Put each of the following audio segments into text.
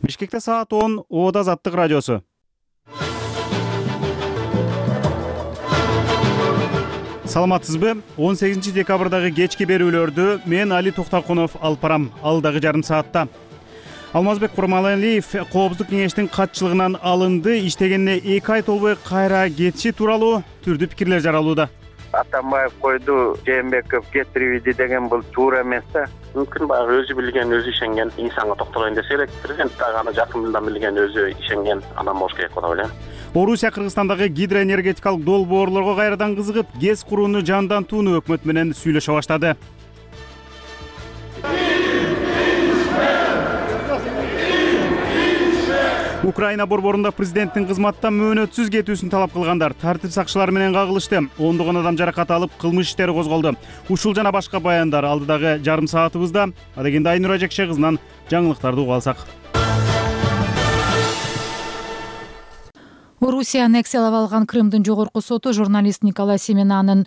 Бишкекте саат 10, Оода Азаттык радиосу. Саламатсызбы? 18 декабрдагы кечки берүүлөрдү мен Али Токтокунов алып барам. Алдагы жарым саатта Алмазбек Курмалиев Коопсуздук кеңештин катчылыгынан алынды, иштегенине 2 ай толбой кайра кетиши тууралуу түрдүү пикирлер жаралууда. Атамбаев койду, Жээнбеков кетирбейди деген бул туура эмес да. Мүмкүн баягы өзү билген, өзү ишенген инсанга токтолоюн десе элек. Президент дагы аны жакындан билген, өзү ишенген адам болуш керек деп ойлойм. Орусия Кыргызстандагы гидроэнергетикалык долбоорлорго кайрадан кызыгып, ГЭС курууну жандантууну өкмөт менен сүйлөшө баштады. Украина борборунда президенттин кызматтан мөөнөтсүз кетүүсүн талап кылгандар тартип сакчылары менен кагылышты. Ондогон адам жаракат алып, кылмыш иштери козголду. Ушул жана башка баяндар алдыдагы жарым саатыбызда. Адегенде Айнура Жекше кызынан жаңылыктарды угуп алсак. Орусия аннексиялап алган Крымдын жогорку соту журналист Николай Семенанын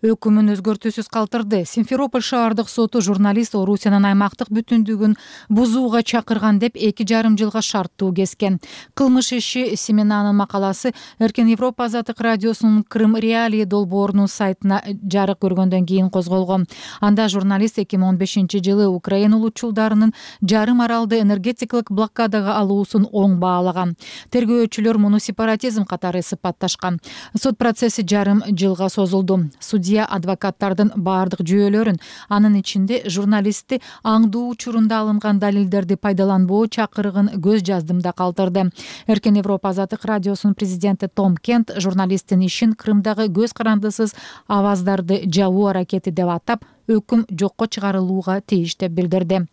өкүмүн өзгөртүүсүз калтырды. Симферополь шаардык соту журналист Орусиянын аймактык бүтүндүгүн бузууга чакырган деп 2,5 жылга шарттуу кескен. Кылмыш иши Семенанын макаласы Эркен Европа Азаттык радиосунун Крым Реалии долбоорунун сайтына жарык көргөндөн кийин козголгон. Анда журналист 2015-жылы Украина улутчулдарынын жарым аралды энергетикалык блокадага алуусун оң баалаган. Тергөөчүлөр муну сепаратизм катары сыпатташкан. Сот процесси жарым жылга созулду. Судья адвокаттардын баардык жүйөлөрүн, анын ичинде журналистти аңдуу учурунда алынган далилдерди пайдаланбоо чакырыгын көз жаздымда калтырды. Эркен Европа Азаттык радиосунун президенти Том Кент журналисттин ишин Крымдагы көз карандысыз аваздарды жабуу аракети деп атап, өкүм жокко чыгарылууга тийиш деп билдирди.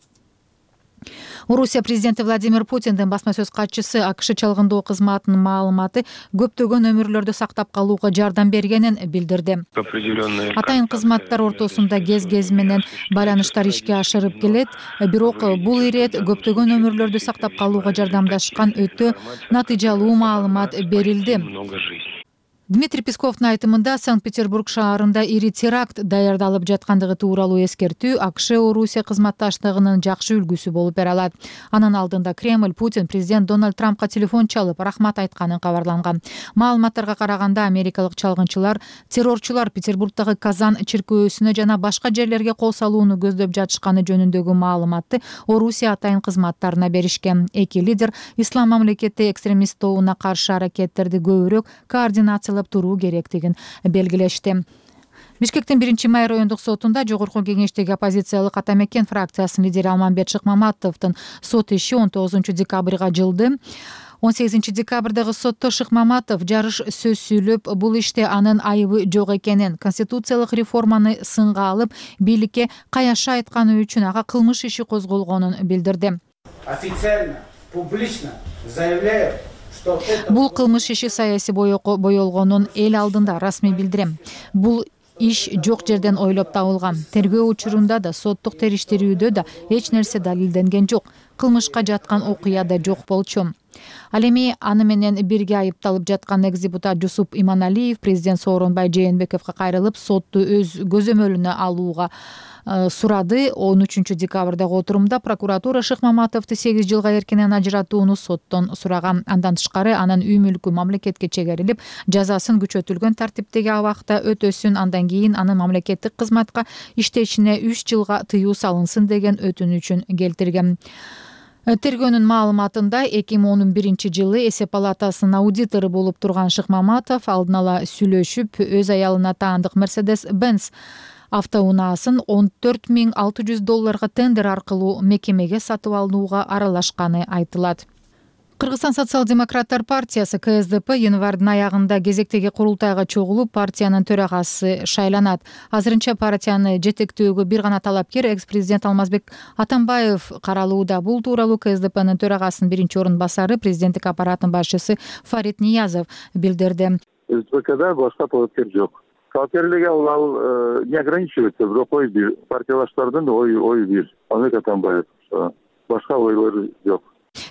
Орусия президенти Владимир Путиндин басма сөз катчысы АКШ чалгындоо кызматынын маалыматы көптөгөн өмүрлөрдү сактап калууга жардам бергенин билдирди. Атайын кызматтар ортосунда кез менен байланыштар ишке ашырып келет, бирок бул ирет көптөгөн өмүрлөрдү сактап калууга жардамдашкан өтө натыйжалуу маалымат берилди. Дмитрий Песковдун айтымында Санкт-Петербург шаарында ири теракт даярдалып жаткандыгы тууралуу эскертүү АКШ-Орусия кызматташтыгынын жакшы үлгүсү болуп бере алат. Анын алдында Кремль Путин президент Дональд Трампка телефон чалып рахмат айтканын кабарланган. Маалыматтарга караганда америкалык чалгынчылар террорчулар Петербургдагы Казан чиркөөсүнө жана башка жерлерге кол салууну көздөп жатышканы жөнүндөгү маалыматты Орусия атайын кызматтарына беришкен. Эки лидер ислам мамлекети экстремист тобуна каршы аракеттерди көбүрөөк координациялап туруу керектигин белгилешти. Бишкектин 1-май райондук сотунда жогорку кеңештеги оппозициялык Атамекен фракциясынын лидери Алмамбет Шыкмаматовдун сот иши 19 декабрга жылды. 18 декабрдагы сотто Шыкмаматов жарыш сөз сүйлөп, бул иште анын айыбы жок экенин, конституциялык реформаны сынга алып, бийликке каяшы айтканы үчүн ага кылмыш иши козголгонун билдирди. Официально, публично заявляю, бул кылмыш иши саясий боелгонун эл алдында расмий билдирем. Бул иш жок жерден ойлоп табылган. Тергөө учурунда да, соттук териштирүүдө да эч нерсе далилденген жок. Кылмышка жаткан окуя да жок болчу. Ал эми аны менен бирге айыпталып жаткан экс-депутат Жусуп Иманалиев президент Сооронбай Жээнбековго кайрылып, сотту өз көзөмөлүнө алууга сурады. 13 декабрдагы отурумда прокуратура Шыкмаматовду 8 жылга эркинен ажыратууну соттон сураган. Андан тышкары анын үй мүлкү мамлекетке чегерилип, жазасын күчөтүлгөн тартиптеги абакта өтөсүн, андан кийин анын мамлекеттик кызматка иштешине 3 жылга тыюу салынсын деген өтүнүчүн келтирген. Тергөөнүн маалыматында 2011-жылы эсеп палатасынын аудитору болуп турган Шыкмаматов алдын ала сүйлөшүп, өз аялына таандык Mercedes-Benz автоунаасын $14,600 тендер аркылуу мекемеге сатып алууга аралашканы айтылат. Кыргызстан социал-демократтар партиясы КСДП январдын аягында кезектеги курултайга чогулуп, партиянын төрагасы шайланат. Азырынча партияны жетектөөгө бир гана талапкер экс-президент Алмазбек Атамбаев каралууда. Бул тууралуу КСДПнын төрагасынын биринчи орун басары, президенттик аппараттын башчысы Фарид Ниязов билдирди. СДПКда башка талапкер жок. Талапкерлиги ал не ограничивается, бирок ой бир, партиялаштардын ой бир. Алмазбек Атамбаев башка ойлор жок.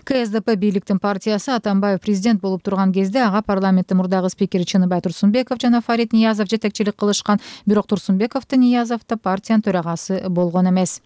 КСДП бийликтин партиясы Атамбаев президент болуп турган кезде ага парламенттин мурдагы спикери Чыныбай Турсунбеков жана Фарид Ниязов жетекчилик кылышкан, бирок Турсунбеков да Ниязов да партиянын төрагасы болгон эмес.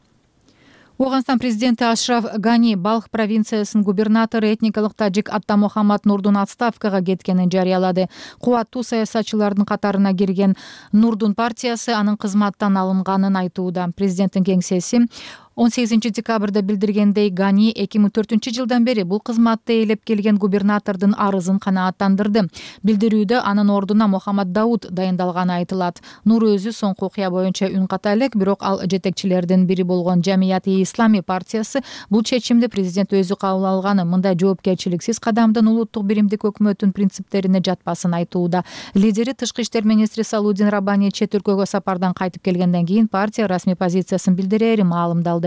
Ооганстан президенти Ашраф Гани Балх провинциясынын губернатору этникалык тажик Аттамухаммад Нурдун отставкага кеткенин жарыялады. Кубаттуу саясатчылардын катарына кирген Нурдун партиясы анын кызматтан алынганын айтууда. Президенттин кеңсеси 18 декабрда билдиргендей, Гани 2004-жылдан бери бул кызматты ээлеп келген губернатордун арызын канааттандырды. Билдирүүдө анын ордуна Мухаммад Дауд дайындалганы айтылат. Нур өзү соңку окуя боюнча үн ката элек, бирок ал жетекчилердин бири болгон Жамияти Ислами партиясы бул чечимди президент өзү кабыл алганы, мындай жоопкерчиликсиз кадамдын улуттук биримдик өкмөттүн принциптерине жатпасын айтууда. Лидери тышкы иштер министри Салудин Раббани чет өлкөгө сапардан кайтып келгенден кийин партия расмий позициясын билдирери маалымдалды.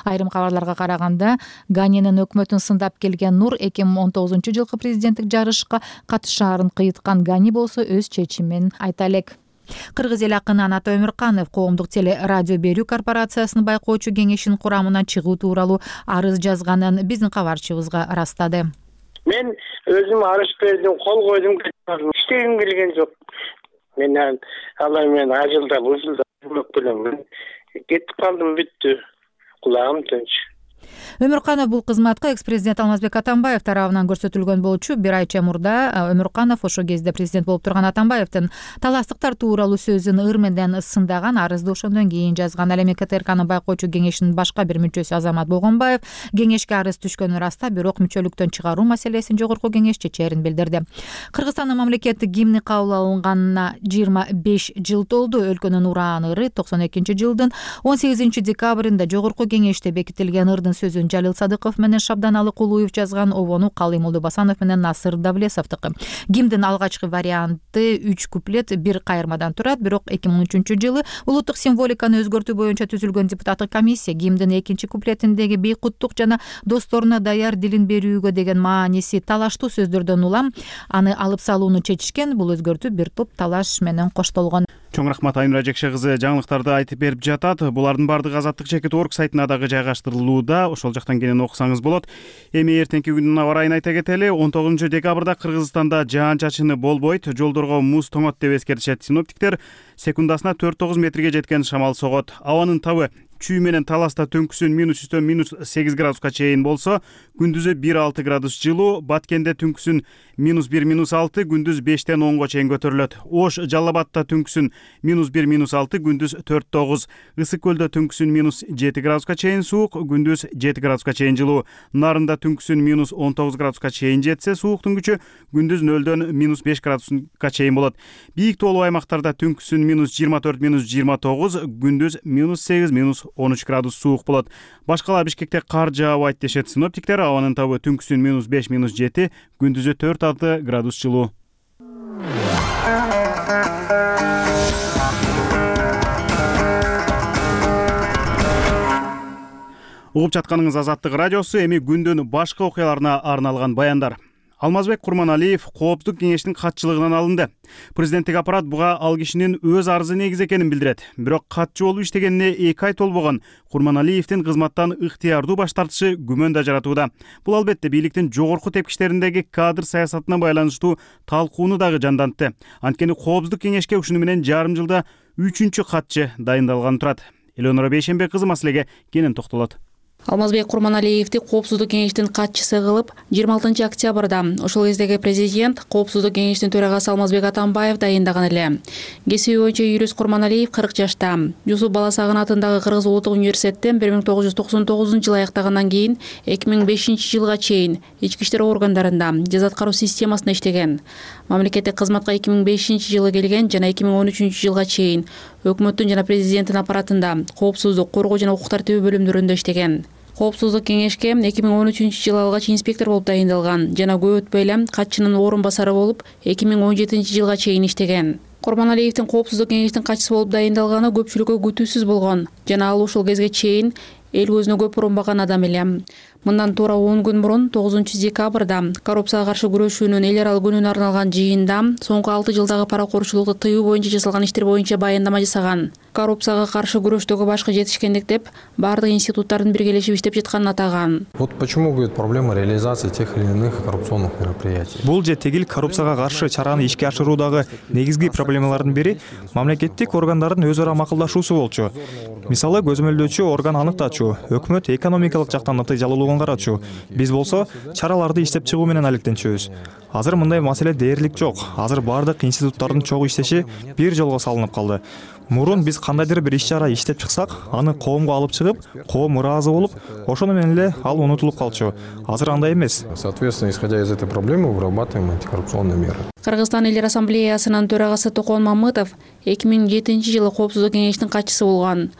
Айрым кабарларга караганда, Ганинин өкмөтүн сындап келген Нур 2019-жылкы президенттик жарышка катышаарын кыйыткан. Гани болсо өз чечимин айта элек. Кыргыз эл акыны Анат Өмүрканов коомдук теле радио берүү корпорациясынын байкоочу кеңешинин курамынан чыгуу тууралуу арыз жазганын биздин кабарчыбызга ырастады. Мен өзүм арыз бердим, кол койдум, иштегим келген жок. Мен алай мен ажылда бузулда белем. Кетип калдым, бүттү. Кулагым тынч. Өмүрканов бул кызматка экс-президент Алмазбек Атамбаев тарабынан көрсөтүлгөн болчу. Бир айча мурда Өмүрканов ошол кезде президент болуп турган Атамбаевдин таластыктар тууралуу сөзүн ыр менен сындаган, арызды ошондон кийин жазган. Ал эми КТРКнын байкоочу кеңешинин башка бир мүчөсү Азамат Болгонбаев кеңешке арыз түшкөнүн ырастап, бирок мүчөлүктөн чыгаруу маселесин жогорку кеңеш чечерин билдирди. Кыргызстандын мамлекеттик гимни кабыл алынганына 25 жыл толду. Өлкөнүн уран ыры 92-жылдын 18 декабрында жогорку кеңеште бекитилген. Ырдын сөзүн Жалил Садыков менен Шабдан Алыкулуев жазган, обону Калый Молдобасанов менен Насыр Давлесовдуку. Гимдин алгачкы варианты 3 куплет, 1 кайырмадан турат, бирок 2013-жылы улуттук символиканы өзгөртүү боюнча түзүлгөн депутаттык комиссия гимдин 2 куплетиндеги бейкуттук жана досторуна даяр дилин берүүгө деген мааниси талаштуу сөздөрдөн улам аны алып салууну чечишкен. Бул өзгөртүү бир топ талаш менен коштолгон. Чоң рахмат Айнура Жекше кызы жаңылыктарды айтып берип жатат. Булардын баардыгы Азаттык.org сайтына дагы жайгаштырылууда. Ошол жактан кенен окусаңыз болот. Эми эртеңки күндүн аба ырайын айта кетели. 19 декабрда Кыргызстанда жаан-чачыны болбойт, жолдорго муз тоңот деп эскертишет синоптиктер. Секундасына 4-9 метрге жеткен шамал согот. Абанын табы чүй менен таласта түнкүсүн -8 градуска чейин болсо, күндүзү 1-6 градус жылуу, Баткенде түнкүсүн -1-6, күндүз 5-тен 10го чейин көтөрүлөт. Ош, Жалал-Абадта түнкүсүн -1-6, күндүз 4-9. Ысык көлдө түнкүсүн -7 градуска чейин суук, күндүз 7 градуска чейин жылуу. Нарында түнкүсүн -19 градуска чейин жетсе, сууктун күчү күндүз 0-дөн -5 градуска чейин болот. Бийик тоолуу аймактарда түнкүсүн -24-29, күндүз -8-13 градус суук болот. Башкалар Бишкекте кар жаабайт дешет синоптиктер. Абанын табы түнкүсүн -5-7, күндүзү 4-6 градус жылуу. Угуп жатканыңыз Азаттык радиосу. Эми күндүн башка окуяларына арналган баяндар. Алмазбек Курманалиев Коопсуздук кеңештин катчылыгынан алынды. Президенттик аппарат буга ал кишинин өз арызы негиз экенин билдирет. Бирок катчы болуп иштегенине 2 ай толбогон Курманалиевдин кызматтан ыктыярдуу баш тартышы күмөн да жаратууда. Бул албетте бийликтин жогорку тепкичтериндеги кадр саясатына байланыштуу талкууну дагы жандантты. Анткени Коопсуздук кеңешке ушуну менен жарым жылда 3-чү катчы дайындалган турат. Элеонора Бейшенбек кызы маселеге кенен токтолот. Алмазбек Курманалиевди Коопсуздук кеңештин катчысы кылып 26 октябрда ошол кездеги президент Коопсуздук кеңештин төрагасы Алмазбек Атамбаев дайындаган эле. Кесиби боюнча Юрис Курманалиев 40 жашта. Жусуп Баласагын атындагы Кыргыз улуттук университеттен 1999-жылы аяктагандан кийин 2005-жылга чейин ички иштер органдарында жаза аткаруу системасында иштеген. Мамлекеттик кызматка 2005-жылы келген жана 2013-жылга чейин өкмөттүн жана президенттин аппаратында коопсуздук, коргоо жана укук тартиби бөлүмдөрүндө иштеген. Коопсуздук кеңешке 2013-жылы алгач инспектор болуп дайындалган жана көп өтпөй эле катчынын орун басары болуп 2017-жылга чейин иштеген. Курманалиевдин Коопсуздук кеңештин катчысы болуп дайындалганы көпчүлүккө күтүүсүз болгон жана ал ушул кезге чейин эл көзүнө көп урунбаган адам эле. Мындан туура 10 күн мурун 9 декабрда коррупцияга каршы күрөшүүнүн эл аралык күнүнө арналган жыйында соңку 6 жылдагы паракорчулукту тыюу боюнча жасалган иштер боюнча баяндама жасаган. Коррупцияга каршы күрөштөгү башкы жетишкендик деп бардык институттардын биргелешип иштеп жатканын атаган. Вот почему будет проблема реализации тех или иных коррупционных мероприятий. Бул же тегил коррупцияга каршы чараны ишке ашыруудагы негизги проблемалардын бири мамлекеттик органдардын өз ара макулдашуусу болчу. Мисалы көзөмөлдөөчү орган аныктачу, өкмөт экономикалык жактан натыйжалуулугун карачу. Биз болсо чараларды иштеп чыгуу менен алектенчүбүз. Азыр мындай маселе дээрлик жок. Азыр бардык институттардын чогуу иштеши бир жолго салынып калды. Мурун биз кандайдыр бир иш-чара иштеп чыксак, аны коомго алып чыгып, коом ыраазы болуп, ошону менен эле ал унутулуп калчу. Азыр андай эмес. Соответственно, исходя из этой проблемы, вырабатываем антикоррупционные меры. Кыргызстан Элдер Ассамблеясынын төрагасы Токон Мамытов 2007-жылы Коопсуздук кеңештин катчысы болгон.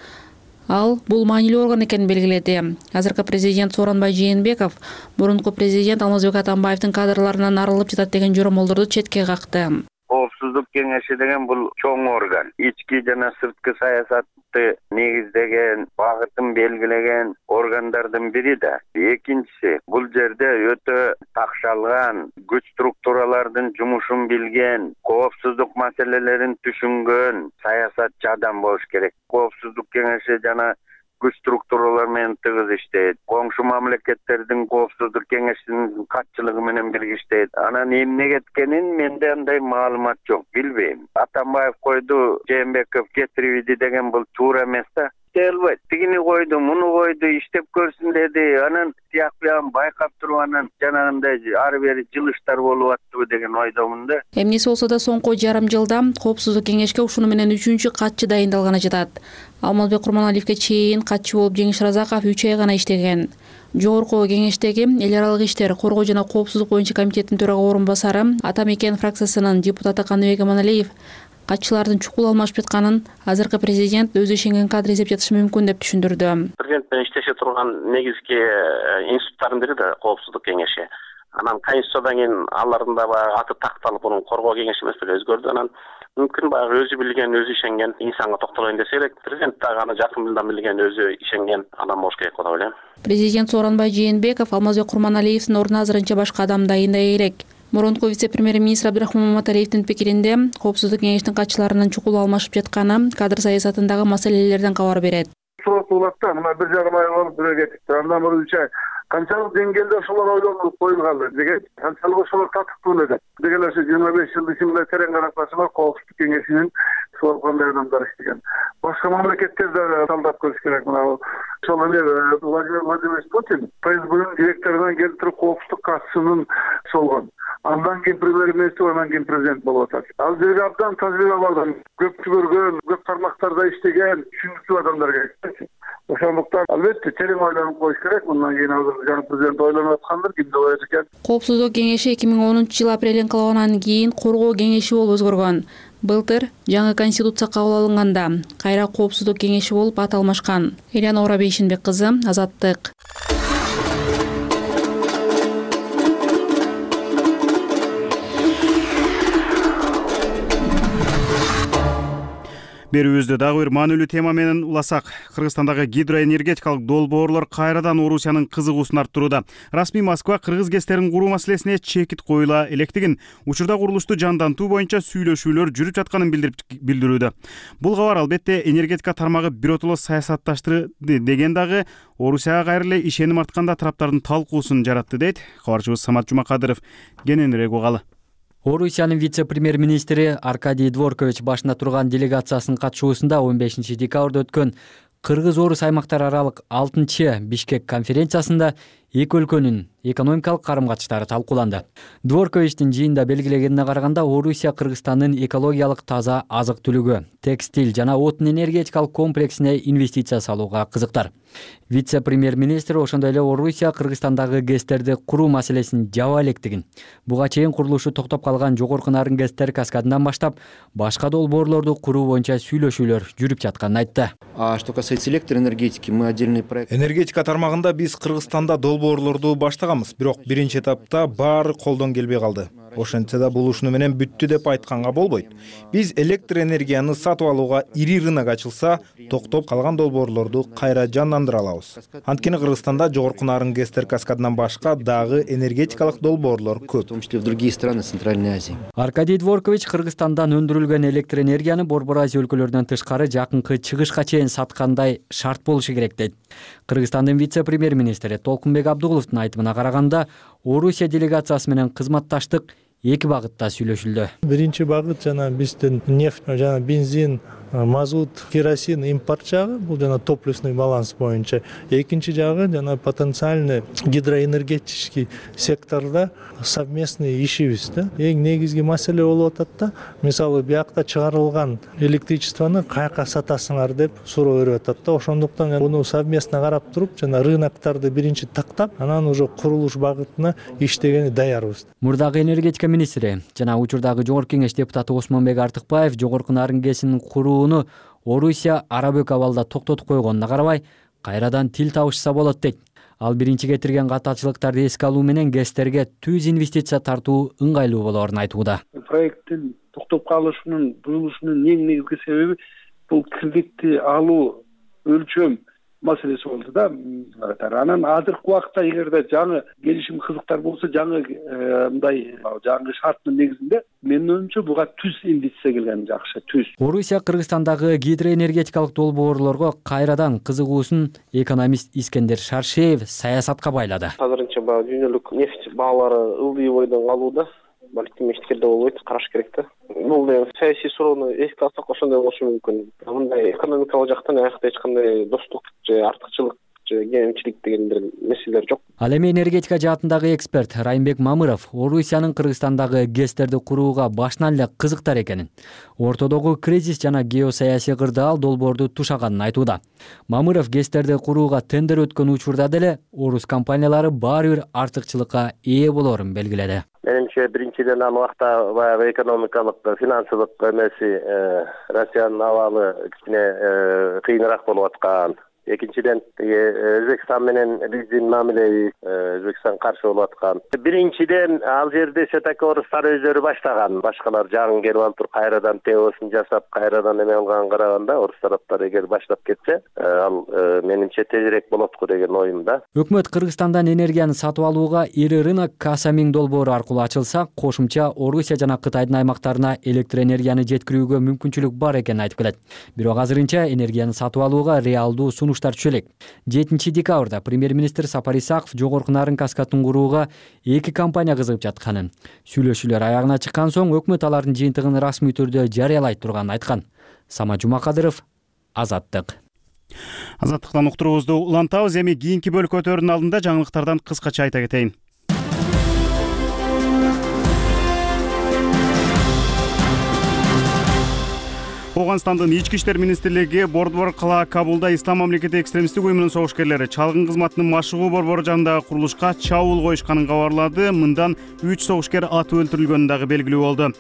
Ал бул маанилүү орган экенин белгиледи. Азыркы президент Сооронбай Жээнбеков мурунку президент Алмазбек Атамбаевдин кадрларынан арылып жатат деген жоромолдорду четке какты. Коопсуздук кеңеши деген бул чоң орган. Ички жана сырткы саясатты негиздеген, багытын белгилеген органдардын бири да. Экинчиси, бул жерде өтө такшалган, күч структуралардын жумушун билген, коопсуздук маселелерин түшүнгөн саясатчы адам болуш керек. Коопсуздук кеңеши жана күч структуралар менен тыгыз иштейт. Коңшу мамлекеттердин коопсуздук кеңешинин катчылыгы менен бирге иштейт. Анан эмне кеткенин менде андай маалымат жок, билбейм. Атамбаев койду, Жээнбеков кетирип деген бул туура эмес да. Элбайт. Тигини койду, муну койду, иштеп көрсүн деди. Анан тияк биян байкап туруп анан жанагындай ары бери жылыштар болуп аттыбы деген ойдомун да. Эмнеси болсо да соңку жарым жылда Коопсуздук кеңешке ушуну менен 3-чү катчы дайындалганы жатат. Алмазбек Курманалиевке чейин катчы болуп Жеңиш Разаков 3 ай гана иштеген. Жогорку кеңештеги эл аралык иштер, коргоо жана коопсуздук боюнча комитеттин төрага орун басары Атамекен фракциясынын депутаты Каныбек Аманалиев катчылардын чукул алмашып жатканын азыркы президент өзү ишенген кадр эзеп жатышы мүмкүн деп түшүндүрдү. Президент менен иштеше турган негизги институттардын бири да Коопсуздук кеңеши. Анан Конституциядан кийин алардын да баягы аты такталып, мунун коргоо кеңеши эмес деле өзгөрдү. Анан мүмкүн баягы өзү билген, өзү ишенген инсанга токтолоюн десе элек, президент дагы аны жакындан билген, өзү ишенген адам болуш керек деп ойлойм. Президент Сооронбай Жээнбеков Алмазбек Курманалиевдин ордуна азырынча башка адам дайындай элек. Мурунку вице-премьер-министр Абдрахман Маматалиевдин пикиринде Коопсуздук кеңештин катчыларынын чукул алмашып жатканы кадр саясатындагы маселелерден кабар берет. Сотулатта мына бир жарым ай болуп бирөө кетипти. Андан мурун 3 ай канчалык деңгээлде ошолор ойлонуп коюлган деген, канчалык ошолор татыктуу эле деген ошо 25 жыл ичинде терең карап барсаңар Коопсуздук кеңешинин ошол кандай адамдар иштеген. Башка мамлекеттерде талдап көрүш керек. Мына ошол Владимир Путин ФСБнын директорунан келип туруп Коопсуздук катчысынын болгон. Андан кийин премьер-министр, андан кийин президент болуп атат. Ал жерге абдан тажрыйба бар, көп көргөн, көп тармактарда иштеген, түшүнүктүү адамдар керек. Ошондуктан албетте терең ойлонуп коюш керек. Мындан кийин азыр жаңы президент ойлонуп аткандыр, кимде ойлойт экен. Коопсуздук кеңеши 2010-жыл апрель инкылабынан кийин коргоо кеңеши болуп өзгөргөн. Былтыр жаңы конституция кабыл алынганда кайра Коопсуздук кеңеши болуп ат алмашкан. Элянора Бейшинбек кызы, Азаттык. Берүүбүздө дагы бир маанилүү тема менен уласак. Кыргызстандагы гидроэнергетикалык долбоорлор кайрадан Орусиянын кызыгуусун арттырууда. Расмий Москва кыргыз ГЭСтерин куруу маселесине чекит коюла электигин, учурда курулушту жандантуу боюнча сүйлөшүүлөр жүрүп жатканын билдирүүдө. Бул кабар албетте энергетика тармагы биротоло саясатташтырды деген дагы Орусияга кайра эле ишеним артканда тараптардын талкуусун жаратты дейт кабарчыбыз Самат Жумакадыров. Кененирээк угалы. Орусиянын вице-премьер-министри Аркадий Дворкович башында турган делегациясынын катышуусунда 15 декабрда өткөн Кыргыз-Орус аймактар аралык 6-чы Бишкек конференциясында эки өлкөнүн экономикалык карым-катыштары талкууланды. Дворковичтин жыйында белгилегенине караганда, Орусия Кыргызстандын экологиялык таза азык-түлүгү, текстиль жана отун энергетикалык комплексине инвестиция салууга кызыктар. Вице-премьер-министр ошондой эле Орусия Кыргызстандагы ГЭСтерди куруу маселесин жаба электигин, буга чейин курулушу токтоп калган жогорку нарын ГЭСтер каскадынан баштап башка долбоорлорду куруу боюнча сүйлөшүүлөр жүрүп жатканын айтты. Что касается электроэнергетики, мы отдельный проект. Энергетика тармагында биз Кыргызстанда долбоорлорду баштаганбыз, бирок биринчи этапта баары колдон келбей калды. Ошентсе да бул ушуну менен бүттү деп айтканга болбойт. Биз электроэнергияны сатып алууга ири рынок ачылса, токтоп калган долбоорлорду кайра жандандыра алабыз. Анткени Кыргызстанда жогорку нарын ГЭСтер каскадынан башка дагы энергетикалык долбоорлор көп. В том числе в другие страны Центральной Азии. Аркадий Дворкович Кыргызстандан өндүрүлгөн электроэнергияны Борбор Азия өлкөлөрүнөн тышкары жакынкы чыгышка чейин саткандай шарт болушу керек дейт. Кыргызстандын вице-премьер-министри Толкунбек Абдугуловдун айтымына караганда, Орусия делегациясы менен кызматташтык эки багытта сүйлөшүлдү. Биринчи багыт жана биздин нефть жана бензин мазут, керосин импорт жагы, бул жана топливный баланс боюнча. Экинчи жагы жана потенциальный гидроэнергетический секторда совместный ишибиз да. Эң негизги маселе болуп атат да. Мисалы биякта чыгарылган электричествону каяка сатасыңар деп суроо берип атат да. Ошондуктан буну совместно карап туруп, жана рыноктарды биринчи тактап, анан уже курулуш багытына иштегени даярбыз. Мурдагы энергетика министри жана учурдагы жогорку кеңеш депутаты Осмонбек Артыкбаев жогорку Нарын КЭСин курууну Орусия арабөк абалда токтотуп койгонуна карабай, кайрадан тил табышса болот дейт. Ал биринчи кетирген катачылыктарды эске алуу менен КЭСтерге түз инвестиция тартуу ыңгайлуу болоорун айтууда. Проекттин токтоп калышынын, буюлушунун эң негизги себеби бул кредитти алуу өлчөм маселеси болду да. Анан азыркы убакытта эгерде жаңы келишим кызыктар болсо, жаңы мындай жаңы шарттын негизинде менин оюмча буга түз инвестиция келген жакшы, түз. Орусия Кыргызстандагы гидроэнергетикалык долбоорлорго кайрадан кызыгуусун экономист Искендер Шаршеев саясатка байлады. Азырынча дүйнөлүк нефть баалары ылдый бойдон калууда. Балким эчкерде болбойт, караш керек да. Бул саясий суроону эске алсак ошондой болушу мүмкүн. Мындай экономикалык жактан аякта эч кандай достук же артыкчылык же кемчилик дегендер маселелер жок. Ал эми энергетика жаатындагы эксперт Райымбек Мамыров Орусиянын Кыргызстандагы КЭСтерди курууга башынан эле кызыктар экенин, ортодогу кризис жана геосаясий кырдаал долбоорду тушаганын айтууда. Мамыров КЭСтерди курууга тендер өткөн учурда деле орус компаниялары баары бир артыкчылыкка ээ болоорун белгиледи. Менимче биринчиден ал убакта баягы экономикалык, финансылык эмеси Россиянын абалы кичине кыйыныраак болуп аткан. Экинчиден Өзбекстан менен биздин мамилеби Өзбекстан каршы болуп аткан. Биринчиден ал жерде все-таки орустар өздөрү баштаган. Башкалар жаңы келип алып туруп кайрадан ТОсын жасап, кайрадан эме кылганга караганда орус тараптар эгер баштап кетсе, ал менимче тезирээк болот го деген оюмда. Өкмөт Кыргызстандан энергияны сатып алууга ири рынок Касамин долбоору аркылуу ачылса, кошумча Орусия жана Кытайдын аймактарына электроэнергияны жеткирүүгө мүмкүнчүлүк бар экенин айтып келет. Бирок азырынча энергияны сатып алууга реалдуу түшө элек. 7 декабрда премьер-министр Сапар Исаков жогорку Нарын КЭСин курууга 2 компания кызыгып жатканын, сүйлөшүүлөр аягына чыккан соң өкмөт алардын жыйынтыгын расмий түрдө жарыялайт турганын айткан. Сама Жумакадыров, Азаттык. Азаттыктан уктуруубузду улантабыз. Эми кийинки бөлүккө өтөөрдүн алдында жаңылыктардан кыскача айта кетейин. Оганстандын ички иштер министрлиги Бордвор кала Кабулда Ислам мамлекети экстремисттик уюмунун согушкерлери чалгын кызматынын машыгуу борбору жанындагы курулушка чабуул коюшканын кабарлады. Мындан 3 согушкер атып өлтүрүлгөнү дагы белгилүү болду.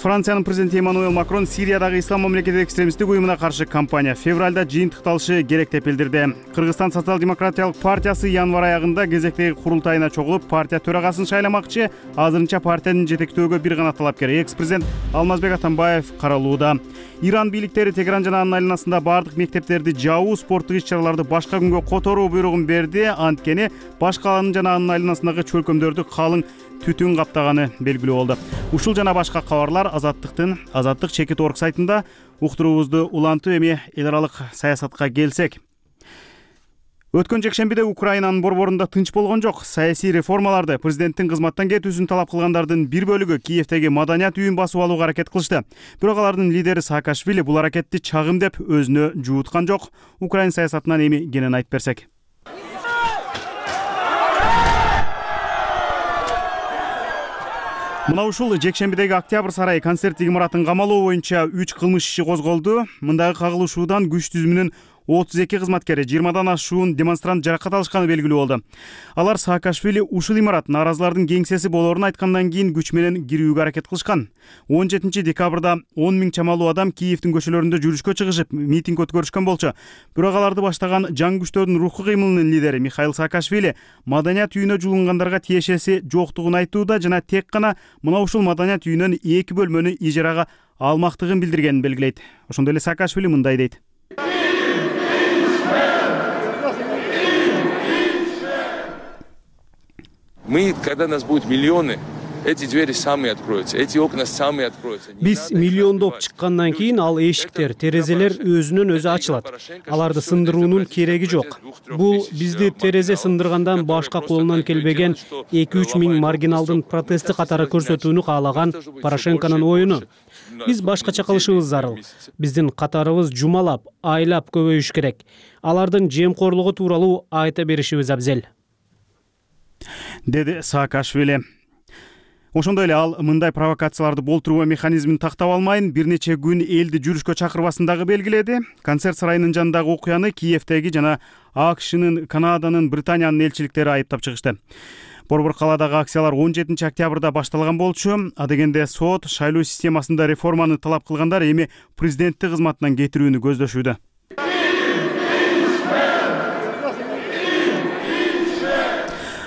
Франциянын президенти Эммануэл Макрон Сириядагы Ислам мамлекети экстремисттик уюмуна каршы кампания февралда жыйынтыкталышы керек деп билдирди. Кыргызстан социал-демократиялык партиясы январь аягында кезектеги курултайына чогулуп, партия төрагасын шайламакчы. Азырынча партиянын жетектөөгө бир гана талапкер экс-президент Алмазбек Атамбаев каралууда. Иран бийликтери Тегеран жана анын айланасында бардык мектептерди жабуу, спорттук иш-чараларды башка күнгө которуу буйругун берди. Анткени башкаланын жана анын айланасындагы чөлкөмдөрдү калың түтүн каптаганы белгилүү болду. Ушул жана башка кабарлар Азаттык чекит орг сайтында. Уктуруубузду улантып, эми эл аралык саясатка келсек. Өткөн жекшембиде Украинанын борборунда тынч болгон жок. Саясий реформаларды, президенттин кызматтан кетүүсүн талап кылгандардын бир бөлүгү Киевдеги маданият үйүн басып алууга аракет кылышты. Бирок алардын лидери Саакашвили бул аракетти чагым деп өзүнө жууткан жок. Украин саясатынан эми кенен айтып берсек. Мына ушул жекшембидеги Октябрь сарайы концерттик имаратын камалоо боюнча 3 кылмыш иши козголду. Мындагы кагылышуудан күч түзүмүнүн 32 кызматкери 20дан ашуун демонстрант жаракат алышканы белгилүү болду. Алар Саакашвили ушул имарат нааразылардын кеңсеси болоорун айткандан кийин күч менен кирүүгө аракет кылышкан. 17 декабрда 10 000 чамалуу адам Киевдин көчөлөрүндө жүрүшкө чыгышып, митинг өткөрүшкөн болчу. Бирок аларды баштаган жаңы күчтөрдүн рухкуу кыймылынын лидери Михаил Саакашвили маданият үйүнө жуулунгандарга тиешеси жоктугун айтууда жана тек гана мына ушул маданият үйүнөн 2 бөлмөнү ижарага алмактыгын билдиргенин белгилейт. Ошондой эле Саакашвили мындай дейт. Мы, когда нас будет миллионы, эти двери сами откроются, эти окна сами откроются. Биз миллиондоп чыккандан кийин ал эшиктер, терезелер өзүнөн өзү ачылат. Аларды сындыруунун кереги жок. Бул бизди терезе сындыргандан башка колунан келбеген 2-3 миң маргиналдын протести катары көрсөтүүнү каалаган Порошенконун оюну. Биз башкача кылышыбыз зарыл. Биздин катарыбыз жумалап, айлап көбөйүш керек. Алардын жемкорлугу тууралуу айта беришибиз абзел, деди Саакашвили. Ошондой эле ал мындай провокацияларды болтуруу механизмин тактап алмайын бир нече күн элди жүрүшкө чакырбасын дагы белгиледи. Концерт сарайынын жанындагы окуяны Киевдеги жана АКШнын, Канаданын, Британиянын элчиликтери айыптап чыгышты. Борбор калаадагы акциялар 17 октябрда башталган болчу. Адегенде сот шайлоо системасында реформаны талап кылгандар эми президенттик кызматынан кетирүүнү көздөшүүдө.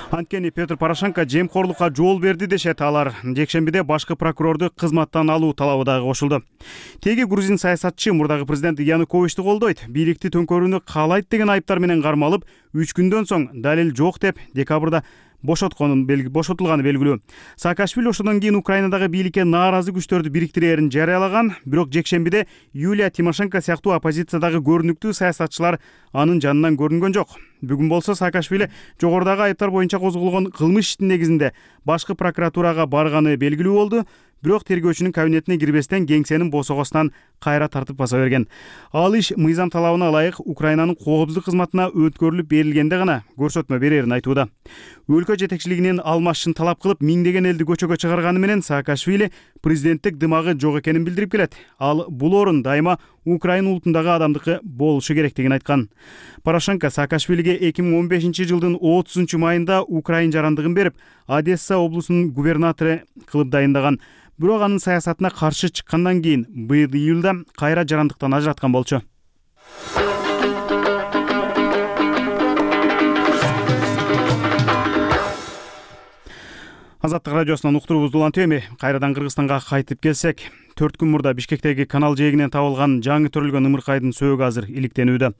Анткени Петр Порошенко жемкорлукка жол берди дешет алар. Жекшембиде башкы прокурорду кызматтан алуу талабы дагы кошулду. Теги грузин саясатчы мурдагы президент Януковичти колдойт, бийликти төңкөрүүнү каалайт деген айыптар менен кармалып, 3 күндөн соң далил жок деп декабрда бошотулганы белгилүү. Саакашвили ошондон кийин Украинадагы бийликке нааразы күчтөрдү бириктирээрин жарыялаган, бирок жекшембиде Юлия Тимошенко сыяктуу оппозициядагы көрүнүктүү саясатчылар анын жанынан көрүнгөн жок. Бүгүн болсо Саакашвили жогорудагы айыптар боюнча козголгон кылмыш иштин негизинде башкы прокуратурага барганы белгилүү болду. Бирок тергөөчүнүн кабинетине кирбестен кеңсенин босогосунан кайра тартып баса берген. Ал иш мыйзам талабына ылайык Украинанын коопсуздук кызматына өткөрүлүп берилгенде гана көрсөтмө берерин айтууда. Өлкө жетекчилигинин алмашын талап кылып миңдеген элди көчөгө чыгарганы менен Саакашвили президенттик дымагы жок экенин билдирип келет. Ал бул орун дайыма Украина улутундагы адамдыкы болушу керектигин айткан. Порошенко Саакашвилиге 2015 жылдын 30 майында Украина жарандыгын берип, Одесса облусунун губернатору кылып дайындаган. Бирок анын саясатына каршы чыккандан кийин быйыл июлда кайра жарандыктан ажыраткан болчу. Азаттык радиосунан уктуруубузду улантып эми кайрадан Кыргызстанга кайтып келсек, 4 күн мурда Бишкектеги канал жээгинен табылган жаңы төрөлгөн ымыркайдын сөөгү азыр иликтенүүдө.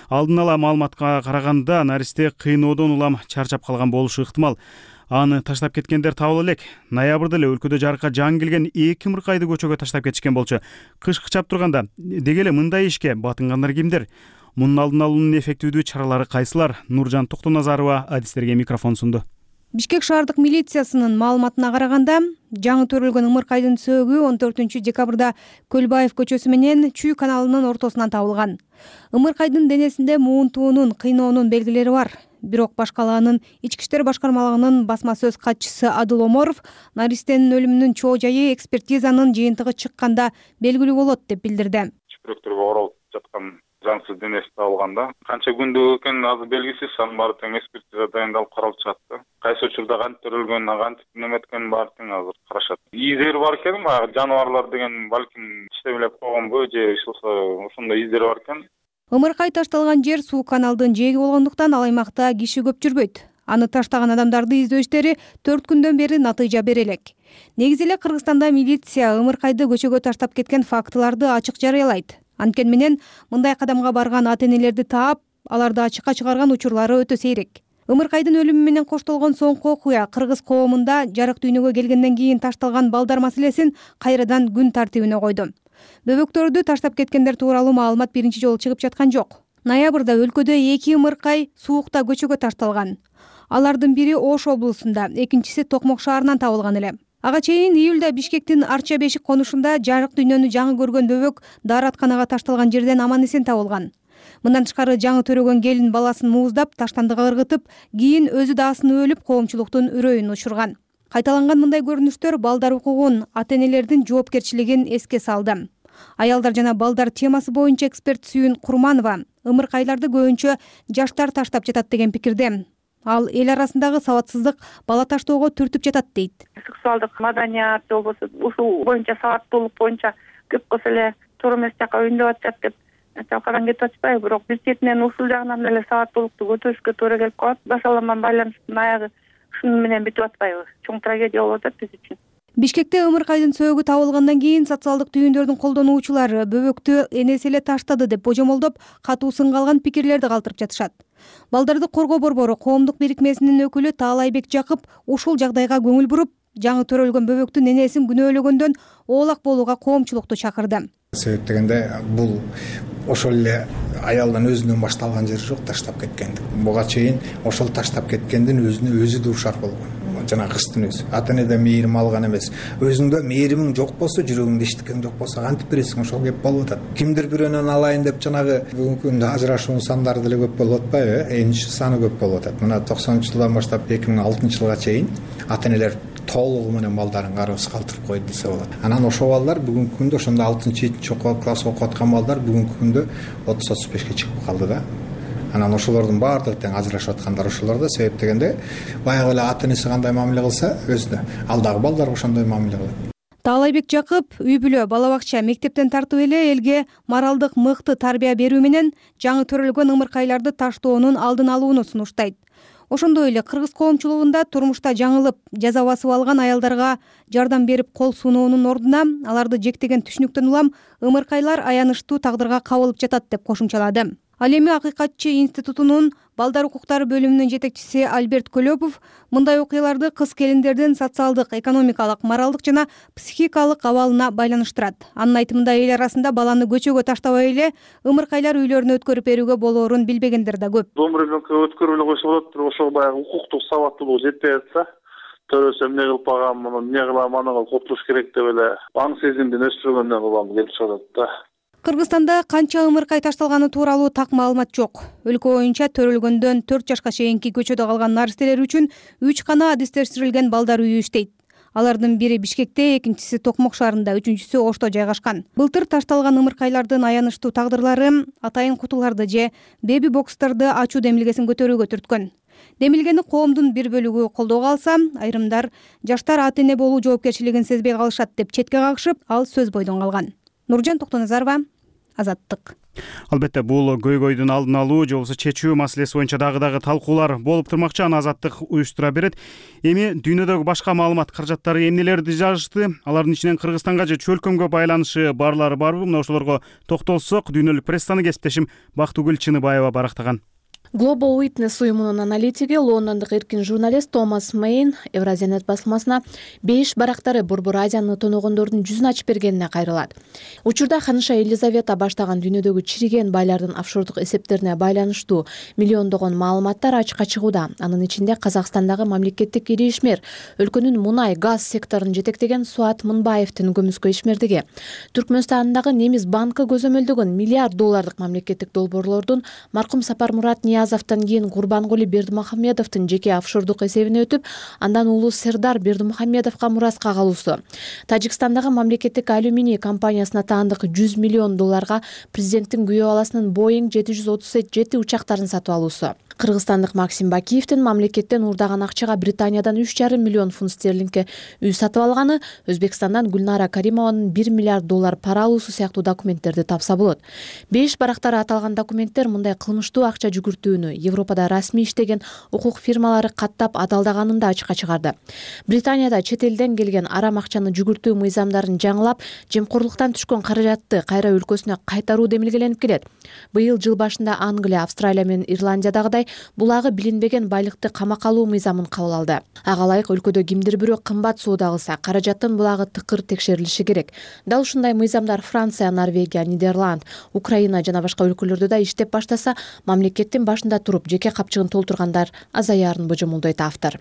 Алдын ала маалыматка караганда наристе кыйноодон улам чарчап калган болушу ыктымал. Аны таштап кеткендер табыла элек. Ноябрда эле өлкөдө жарыкка жаңы келген 2 ымыркайды көчөгө таштап кетишкен болчу. Кыш кычап турганда деги эле мындай ишке батынгандар кимдер? Мунун алдын алуунун эффективдүү чаралары кайсылар? Нуржан Токтоназарова адистерге микрофон сунду. Бишкек шаардык милициясынын маалыматына караганда, жаңы төрөлгөн ымыркайдын сөөгү 14 декабрда Көлбаев көчөсү менен Чүй каналынын ортосунан табылган. Ымыркайдын денесинде муунтуунун, кыйноонун белгилери бар. Бирок башкалаанын ички иштер башкармалыгынын басма сөз катчысы Адыл Оморов наристенин өлүмүнүн чоо жайы экспертизанын жыйынтыгы чыкканда белгилүү болот деп билдирди. Чүпүрөктөргө оролуп жаткан заңсыз денеси табылганда канча күндүк экени азыр белгисиз, анын баары тең экспертиза дайындалып каралып чыгат да. Кайсы учурда кантип төрөлгөн, кантип неме эткенин баары тең азыр карашат. Издери бар экен, баягы жаныбарлар деген балким иштемелеп койгонбу же ошондой издери бар экен. Ымыркай ташталган жер суу каналдын жээги болгондуктан ал аймакта киши көп жүрбөйт. Аны таштаган адамдарды издөө иштери 4 күндөн бери натыйжа бере элек. Негизи эле Кыргызстанда милиция ымыркайды көчөгө таштап кеткен фактыларды ачык жарыялайт. Анткени менен мындай кадамга барган ата-энелерди таап, аларды ачыкка чыгарган учурлары өтө сейрек. Ымыркайдын өлүмү менен коштолгон соңку окуя кыргыз коомунда жарык дүйнөгө келгенден кийин ташталган балдар маселесин кайрадан күн тартибине койду. Бөбөктөрдү таштап кеткендер тууралуу маалымат биринчи жолу чыгып жаткан жок. Ноябрда өлкөдө 2 ымыркай суукта көчөгө ташталган. Алардын бири Ош облусунда, экинчиси Токмок шаарынан табылган эле. Ага чейин июлда Бишкектин Арча бешик конушунда жарык дүйнөнү жаңы көргөн бөбөк дааратканага ташталган жерден аман-эсен табылган. Мындан тышкары жаңы төрөгөн келин баласын мууздап, таштандыга ыргытып, кийин өзү да асынып өлүп, коомчулуктун үрөйүн учурган. Кайталанган мындай көрүнүштөр балдар укугун, ата-энелердин жоопкерчилигин эске салды. Аялдар жана балдар темасы боюнча эксперт Сүйүн Курманова ымыркайларды көбүнчө жаштар таштап жатат деген пикирде. Ал эл арасындагы сабатсыздык бала таштоого түртүп жатат дейт. Сексуалдык маданият же болбосо ушул боюнча сабаттуулук боюнча көп болсо эле туура эмес жака өйндөп атышат деп талкадан кетип атышпайбы? Бирок биз четинен ушул жагынан эле сабаттуулукту көтөрүшкө туура келип калат. Башаламан байланыштын аягы шуну менен бүтүп атпайбы? Чоң трагедия болуп атат биз үчүн. Бишкекте ымыркайдын сөөгү табылгандан кийин социалдык түйүндөрдүн колдонуучулары бөбөктү энеси эле таштады деп божомолдоп, катуу сынга алган пикирлерди калтырып жатышат. Балдарды коргоо борбору коомдук бирикмесинин өкүлү Таалайбек Жакып ушул жагдайга көңүл буруп, жаңы төрөлгөн бөбөктүн энесин күнөөлөгөндөн оолак болууга коомчулукту чакырды. Себеп дегенде бул ошол эле аялдан өзүнөн башталган жери жок, таштап кеткендик. Буга чейин ошол таштап кеткендин өзүнө өзү дуушар болгон. Жана кыздын өзү ата энеден мээрим алган эмес. Өзүңдө мээримиң жок болсо, жүрөгүңдө эчтекең жок болсо кантип бересиң? Ошол кеп болуп атат. Кимдир бирөөнөн алайын деп жанагы бүгүнкү күндө ажырашуунун сандары деле көп болуп атпайбы? Энчи саны көп болуп атат. Мына 90-жылдан баштап 2006-жылга чейин ата энелер толугу менен балдарын карабыз калтырып койду десе болот. Анан ошол балдар бүгүнкү күндө ошондо 6-7 класс окуп аткан балдар бүгүнкү күндө 30-35ке чыгып калды да. Анан ошолордун баардыгы тең ажырашып аткандар ошолор да. Себеп дегенде баягы эле ата энеси кандай мамиле кылса, өзүнө ал дагы балдарга ошондой мамиле кылат. Таалайбек Жакып үй бүлө, бала бакча, мектептен тартып эле элге моралдык мыкты тарбия берүү менен жаңы төрөлгөн ымыркайларды таштоонун алдын алууну сунуштайт. Ошондой эле кыргыз коомчулугунда турмушта жаңылып, жаза басып алган аялдарга жардам берип кол сунуунун ордуна аларды жектеген түшүнүктөн улам ымыркайлар аянычтуу тагдырга кабылып жатат деп кошумчалады. Ал эми Акыйкатчы институтунун балдар укуктары бөлүмүнүн жетекчиси Альберт Көлөпов мындай окуяларды кыз келиндердин социалдык, экономикалык, моралдык жана психикалык абалына байланыштырат. Анын айтымында эл арасында баланы көчөгө таштабай эле ымыркайлар үйлөрүнө өткөрүп берүүгө болоорун билбегендер да көп. Дом ребенка өткөрүп эле койсо болот, бирок ошол баягы укуктук сабаттуулугу жетпей атса, төрөсөм эмне кылып багам, эмне кылам, аны коптуруш керек деп эле аң сезимдин өстүргөндөн улам келип чыгат да. Кыргызстанда канча ымыркай ташталганы тууралуу так маалымат жок. Өлкө боюнча төрөлгөндөн 4 жашка чейинки көчөдө калган наристелер үчүн 3 гана адистештирилген балдар үйү иштейт. Алардын бири Бишкекте, экинчиси Токмок шаарында, үчүнчүсү Ошто жайгашкан. Былтыр ташталган ымыркайлардын аянычтуу тагдырлары атайын кутуларды же беби бокстарды ачуу демилгесин көтөрүүгө түрткөн. Демилгени коомдун бир бөлүгү колдоого алса, айрымдар жаштар ата эне болуу жоопкерчилигин сезбей калышат деп четке кагышып, ал сөз бойдон калган. Нуржан Токтоназарова, Азаттык. Албетте бул көйгөйдүн алдын алуу же болбосо чечүү маселеси боюнча дагы талкуулар болуп турмакчы, аны Азаттык уюштура берет. Эми дүйнөдөгү башка маалымат каражаттары эмнелерди жазышты? Алардын ичинен Кыргызстанга же чөлкөмгө байланышы барлары барбы? Мына ошолорго токтолсок, дүйнөлүк прессаны кесиптешим Бактыгүл Чыныбаева барактаган. Global Witness уюмунун аналитиги, лондондук эркин журналист Томас Мейн Евразиянет басылмасына 5 барактары Борбор Азияны тоногондордун жүзүн ачып бергенине кайрылат. Учурда ханыша Елизавета баштаган дүйнөдөгү чириген байлардын офшордук эсептерине байланыштуу миллиондогон маалыматтар ачыкка чыгууда. Анын ичинде Казакстандагы мамлекеттик ири ишмер, өлкөнүн мунай, газ секторун жетектеген Суат Мынбаевдин көмүскө ишмердиги, Түркмөнстандагы Немис банкы көзөмөлдөгөн миллиард доллардык мамлекеттик долбоорлордун маркум Сапармурат Азовтан кийин Курбангули Бердимухамедовдун жеке офшордук эсебине өтүп, андан уулу Сердар Бердимухамедовго мураска калуусу. Тажикстандагы мамлекеттик алюминий компаниясына таандык 100 миллион долларга президенттин күйөө баласынын Boeing 737 учактарын сатып алуусу. Кыргызстандык Максим Бакиевдин мамлекеттен уурдаган акчага Британиядан 3,5 миллион фунт стерлингке үй сатып алганы, Өзбекстандан Гүлнара Каримованын 1 миллиард доллар пара алуусу сыяктуу документтерди тапса болот. 5 барактары аталган документтер мындай кылмыштуу акча жүгүртүүнү Европада расмий иштеген укук фирмалары каттап адалдаганын да ачыкка чыгарды. Британияда чет элден келген арам акчаны жүгүртүү мыйзамдарын жаңылап, жемкорлуктан түшкөн каражатты кайра өлкөсүнө кайтаруу демилгеленип келет. Быйыл жыл башында Англия, Австралия менен Ирландиядагыдай булагы билинбеген байлыкты камакка алуу мыйзамын кабыл алды. Ага ылайык өлкөдө кимдир бирөө кымбат соода кылса, каражаттын булагы тыкыр текшерилиши керек. Дал ушундай мыйзамдар Франция, Норвегия, Нидерланд, Украина жана башка өлкөлөрдө да иштеп баштаса, мамлекеттин башында туруп жеке капчыгын толтургандар азаярын божомолдойт автор.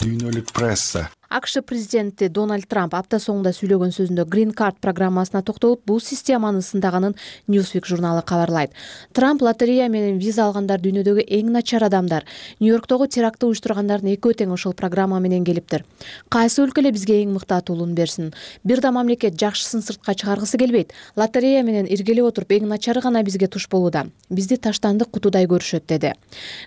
Дүйнөлүк пресса. АКШ президенти Дональд Трамп апта соңунда сүйлөгөн сөзүндө Green Card программасына токтолуп, бул системаны сындаганын Newsweek журналы кабарлайт. Трамп лотерея менен виза алгандар дүйнөдөгү эң начар адамдар. Нью-Йорктогу терактты уюштургандардын экөө тең ошол программа менен келиптир. Кайсы өлкө эле бизге эң мыкты атуулууну берсин? Бир да мамлекет жакшысын сыртка чыгаргысы келбейт. Лотерея менен иргелеп отуруп эң начары гана бизге туш болууда. Бизди таштандык кутудай көрүшөт, деди.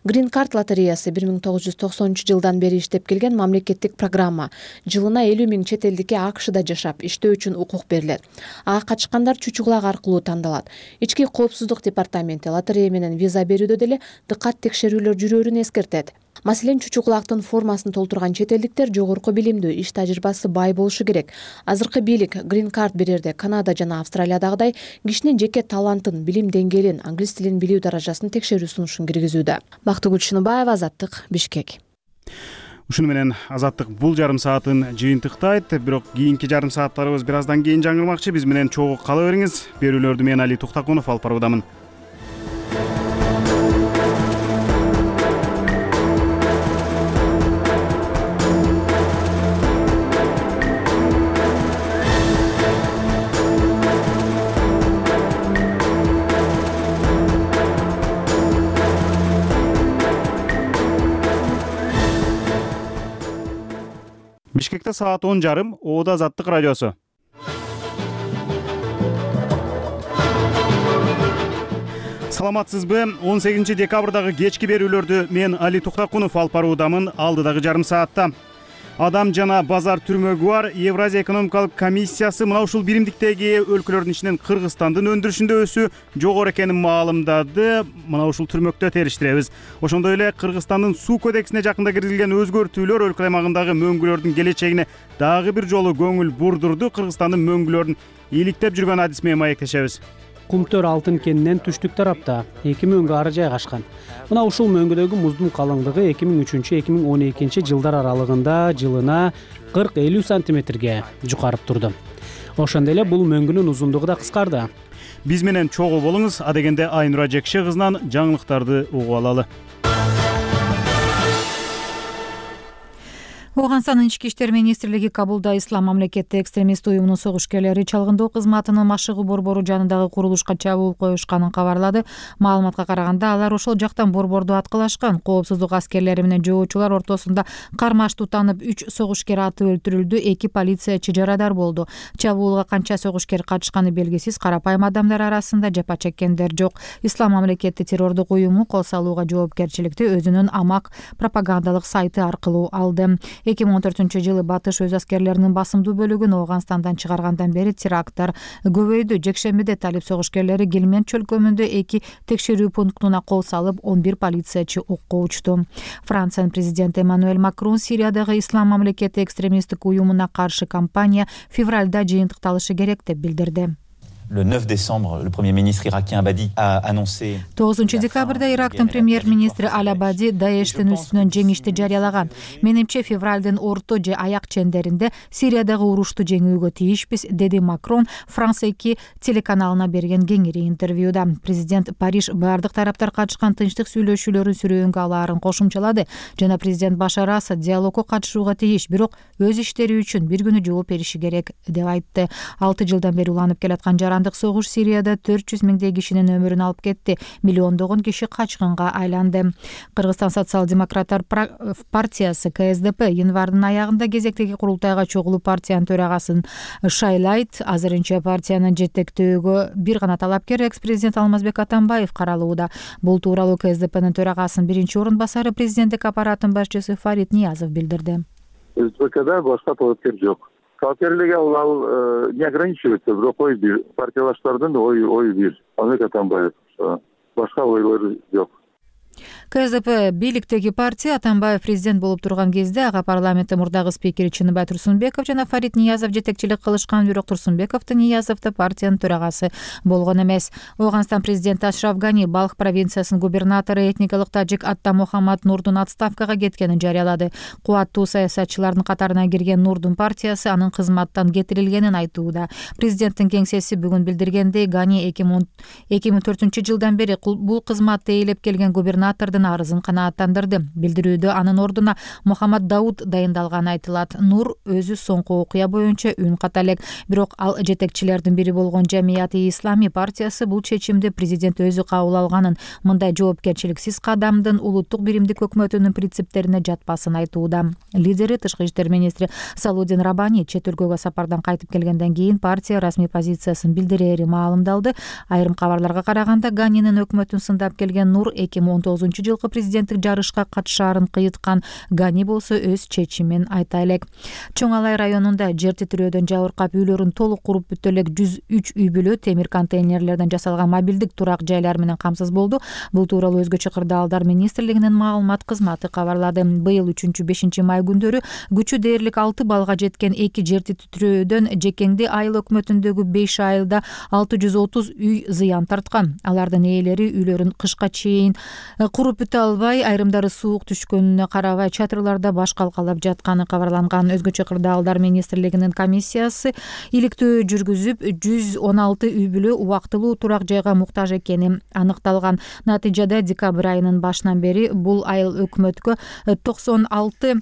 Green Card лотереясы 1990-жылдан бери иштеп келген мамлекеттик программа. Жылына 50 000 чет элдикке АКШда жашап, иштөө үчүн укук берилет. Ага катышкандар чучугулак аркылуу тандалат. Ички коопсуздук департаменти лотерея менен виза берүүдө деле дыкат текшерүүлөр жүрөөрүн эскертет. Маселен, чучугулактын формасын толтурган чет элдиктер жогорку билимдүү, иш тажрыйбасы бай болушу керек. Азыркы бийлик Green Card берерде Канада жана Австралиядагыдай кишинин жеке талантын, билим деңгээлин, англис тилин билүү даражасын текшерүү сунушун киргизүүдө. Бактыгүл Чыныбаева, Азаттык, Бишкек. Ушуну менен Азаттык бул жарым саатын жыйынтыктайт, бирок кийинки жарым сааттарыбыз бир аздан кийин жаңырмакчы. Биз менен чогуу кала бериңиз. Берүүлөрдү мен Али Туктакунов алып баруудамын. Бишкекте саат 10:30, Оода Азаттык радиосу. Саламатсызбы? 18 декабрдагы кечки берүүлөрдү мен Али Туктакунов алып баруудамын. Алдыдагы жарым саатта Адам жана базар түрмөгү бар Евразия экономикалык комиссиясы мына ушул биримдиктеги өлкөлөрдүн ичинен Кыргызстандын өндүрүшүндө өсүү жогору экенин маалымдады. Мына ушул түрмөктө териштиребиз. Ошондой эле Кыргызстандын суу кодексине жакында киргизилген өзгөртүүлөр өлкө аймагындагы мөңгүлөрдүн келечегине дагы бир жолу көңүл бурдурду. Кыргызстандын мөңгүлөрүн ийгиликтеп жүргөн адис менен маектешебиз. Кумтөр алтын кенинен түштүк тарапта 2 мөңгү ары жайгашкан. Мына ушул мөңгүдөгү муздун калыңдыгы 2003-2012 жылдар аралыгында жылына 40-50 сантиметрге жукарып турду. Ошондой эле бул мөңгүнүн узундугу да кыскарды. Биз менен чогуу болуңуз. Адегенде Айнура Жекше кызынан жаңылыктарды угуп алалы. Ооганстандын ички иштер министрлиги Кабулда ислам мамлекети экстремист уюмунун согушкерлери чалгындоо кызматынын машыгуу борбору жанындагы курулушка чабуул коюшканын кабарлады. Маалыматка караганда алар ошол жактан борборду аткылашкан. Коопсуздук аскерлери менен жоочулар ортосунда кармаш тутанып 3 согушкер атып өлтүрүлдү, 2 полициячы жарадар болду. Чабуулга канча согушкер катышканы белгисиз. Карапайым адамдар арасында жапа чеккендер жок. Ислам мамлекети террордук уюму кол салууга жоопкерчиликти өзүнүн амак пропагандалык сайты аркылуу алды. 2014-жылы Батыш өз аскерлеринин басымдуу бөлүгүн Ооганстандан чыгаргандан бери теракттар көбөйдү. Жекшембиде талип согушкерлери Гилмент чөлкөмүндө 2 текшерүү пунктуна кол салып, 11 полициячы окко учту. Франциянын президенти Эммануэль Макрон Сириядагы ислам мамлекети экстремисттик уюмуна каршы кампания февралда жыйынтыкталышы керек деп билдирди. Le 9 décembre, le Premier ministre irakien Abadi a annoncé 9 декабрда Ирактын премьер-министри Аль-Абади Даештин үстүнөн жеңишти жарыялаган. Менимче февралдын орто же аяк чендеринде Сириядагы урушту жеңүүгө тийишпиз, деди Макрон Франция 2 телеканалына берген кеңири интервьюда. Президент Париж бардык тараптар катышкан тынчтык сүйлөшүүлөрүн сүрөөнгө алаарын кошумчалады жана президент Башар Асад диалогко катышууга тийиш, бирок өз иштери үчүн бир күнү жооп бериши керек деп айтты. 6 жылдан бери уланып келаткан жарандык согуш Сирияда 400 миңдей кишинин өмүрүн алып кетти. Миллиондогон киши качкынга айланды. Кыргызстан социал-демократтар партиясы КСДП январдын аягында кезектеги курултайга чогулуп партиянын төрагасын шайлайт. Азырынча партиянын жетектөөгө бир гана талапкер экс-президент Алмазбек Атамбаев каралууда. Бул тууралуу КСДПнын төрагасынын биринчи орун басары президенттик аппараттын башчысы Фарид Ниязов билдирди. СДПКда башка талапкер жок. Талапкерлерге ал не ограничивается, бирок ой бир, партиялаштардын ой бир. Алмазбек Атамбаев башка ойлор жок. КСДП бийликтеги партия Атамбаев президент болуп турган кезде ага парламенттин мурдагы спикери Чыныбай Турсунбеков жана Фарид Ниязов жетекчилик кылышкан, бирок Турсунбековду Ниязовду партиянын төрагасы болгон эмес. Ооганстан президенти Ашраф Гани Балх провинциясынын губернатору этникалык тажик Атта Мухаммад Нурдун отставкага кеткенин жарыялады. Кубаттуу саясатчылардын катарына кирген Нурдун партиясы анын кызматтан кетирилгенин айтууда. Президенттин кеңсеси бүгүн билдиргендей, Гани 2004-жылдан бери бул кызматты ээлеп келген губернатордун арызын канааттандырды. Билдирүүдө анын ордуна Мухаммад Дауд дайындалганы айтылат. Нур өзү соңку окуя боюнча үн ката элек, бирок ал жетекчилердин бири болгон Жамияти Ислами партиясы бул чечимди президент өзү кабыл алганын, мындай жоопкерчиликсиз кадамдын улуттук биримдик өкмөтүнүн принциптерине жатпасын айтууда. Лидери тышкы иштер министри Салудин Рабани чет өлкөгө сапардан кайтып келгенден кийин партия расмий позициясын билдирери маалымдалды. Айрым кабарларга караганда Ганинин өкмөтүн сындап келген Нур 2019-жылкы президенттик жарышка катышаарын кыйыткан. Гани болсо өз чечимин айта элек. Чоң Алай районунда жер титирөөдөн жабыркап үйлөрүн толук куруп бүтө элек 103 үй бүлө темир контейнерлерден жасалган мобилдик турак жайлар менен камсыз болду. Бул тууралуу Өзгөчө кырдаалдар министрлигинин маалымат кызматы кабарлады. Быйыл 3-5 май күндөрү күчү дээрлик 6 балга жеткен 2 жер титирөөдөн Жекеңди айыл өкмөтүндөгү 5 айылда 630 үй зыян тарткан. Алардын ээлери үйлөрүн кышка чейин куруп бүтө албай, айрымдары суук түшкөнүнө карабай чатырларда баш калкалап жатканы кабарланган. Өзгөчө кырдаалдар министрлигинин комиссиясы иликтөө жүргүзүп, 116 үй бүлө убактылуу турак жайга муктаж экени аныкталган. Натыйжада декабрь айынын башынан бери бул айыл өкмөткө 96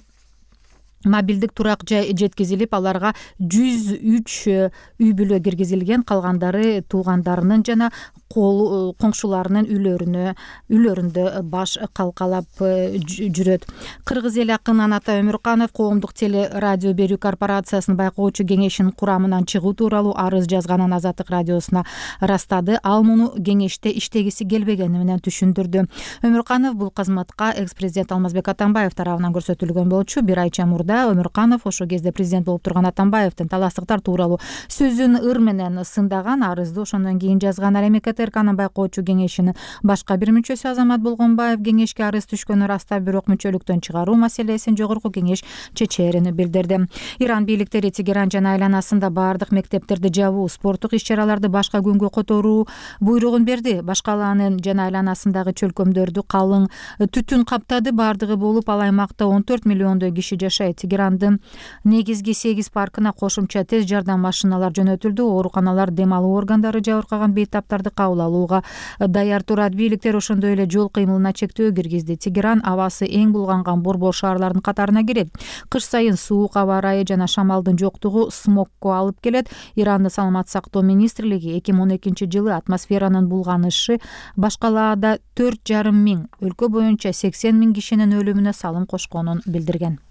мобилдик турак жай жеткизилип, аларга 103 үй бүлө киргизилген. Калгандары туугандарынын жана коңшуларынын үйлөрүндө баш калкалап жүрөт. Кыргыз эли акыны Ата Өмүрканов коомдук теле радио берүү корпорациясынын байкоочу кеңешинин курамынан чыгуу тууралуу арыз жазганын Азаттык радиосуна ырастады. Ал муну кеңеште иштегиси келбегени менен түшүндүрдү. Өмүрканов бул кызматка экс-президент Алмазбек Атамбаев тарабынан көрсөтүлгөн болчу. Бир айча мурда Өмүрканов ошол кезде президент болуп турган Атамбаевдин таластыктар тууралуу сөзүн ыр менен сындаган. Арызды ошондон кийин жазган. Ал эми КТРКнын байкоочу кеңешинин башка бир мүчөсү Азамат Болгонбаев кеңешке арыз түшкөнүн ырастап, бирок мүчөлүктөн чыгаруу маселесин жогорку кеңеш чечээрин билдирди. Иран бийликтери Тегеран жана айланасында баардык мектептерди жабуу, спорттук иш-чараларды башка күнгө которуу буйругун берди. Башкаланын жана айланасындагы чөлкөмдөрдү калың түтүн каптады. Баардыгы болуп, ал аймакта 14 миллиондой киши жашайт. Тегерандын негизги 8 паркына кошумча тез жардам машиналар жөнөтүлдү. Ооруканалар дем алуу органдары жабыркаган бейтаптарды кабыл алууга даяр турат. Бийликтер ошондой эле жол кыймылына чектөө киргизди. Тегеран абасы эң булганган борбор шаарлардын катарына кирет. Кыш сайын суук аба ырайы жана шамалдын жоктугу смогко алып келет. Ирандын саламаттык сактоо министрлиги 2012 жылы атмосферанын булганышы башкалаада 4,5 миң, өлкө боюнча 80 миң кишинин өлүмүнө салым кошконун билдирген.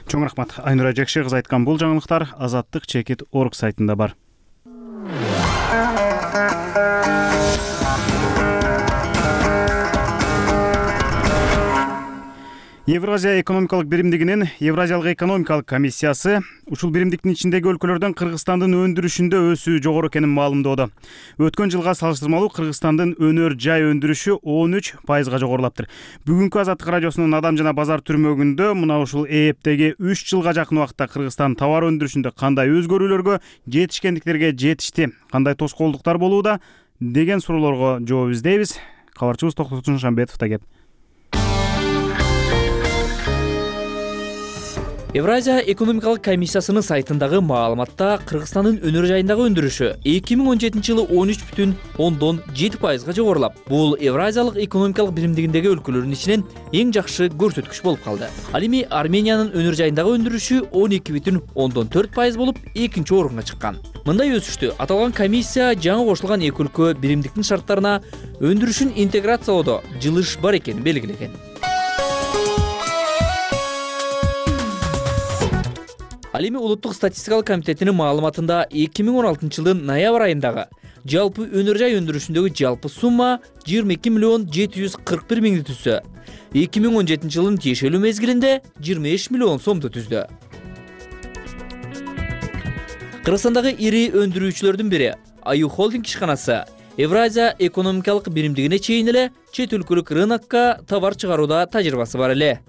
Чоң рахмат. Айнура Жекши кыз айткан бул жаңылыктар Азаттык чекит орг сайтында бар. Евразия экономикалык биримдигинин Евразиялык экономикалык комиссиясы ушул биримдиктин ичиндеги өлкөлөрдөн Кыргызстандын өндүрүшүндө өсүү жогору экенин маалымдоодо. Өткөн жылга салыштырмалуу Кыргызстандын өнөр жай өндүрүшү 13% жогорулаптыр. Бүгүнкү Азаттык радиосунун Адам жана базар түрмөгүндө мына ушул ээптеги 3 жылга жакын убакытта Кыргызстан товар өндүрүшүндө кандай өзгөрүүлөргө жетишкендиктерге жетишти, кандай тоскоолдуктар болууда деген суроолорго жооп издейбиз. Кабарчыбыз Токтот Шамбетов да кеп. Евразия экономикалык комиссиясынын сайтындагы маалыматта Кыргызстандын өнөр жайындагы өндүрүшү 2017 жылы 13,7% жогорулап, бул Евразиялык экономикалык биримдигиндеги өлкөлөрдүн ичинен эң жакшы көрсөткүч болуп калды. Ал эми Армениянын өнөр жайындагы өндүрүшү 12,4% болуп, экинчи орунга чыккан. Мындай өсүштү аталган комиссия жаңы кошулган эки өлкө биримдиктин шарттарына өндүрүшүн интеграциялоодо жылыш бар экенин белгилеген. Ал эми Улуттук статистикалык комитетинин маалыматында 2016 жылдын ноябрь айындагы жалпы өнөр жай өндүрүшүндөгү жалпы сумма 22 миллион 741 миңди түзсө, 2017 жылдын тиешелүү мезгилинде 25 миллион сомду түздү. Кыргызстандагы ири өндүрүүчүлөрдүн бири Аю холдинг ишканасы Евразия экономикалык биримдигине чейин эле чет өлкөлүк рынокко товар чыгарууда тажрыйбасы бар эле.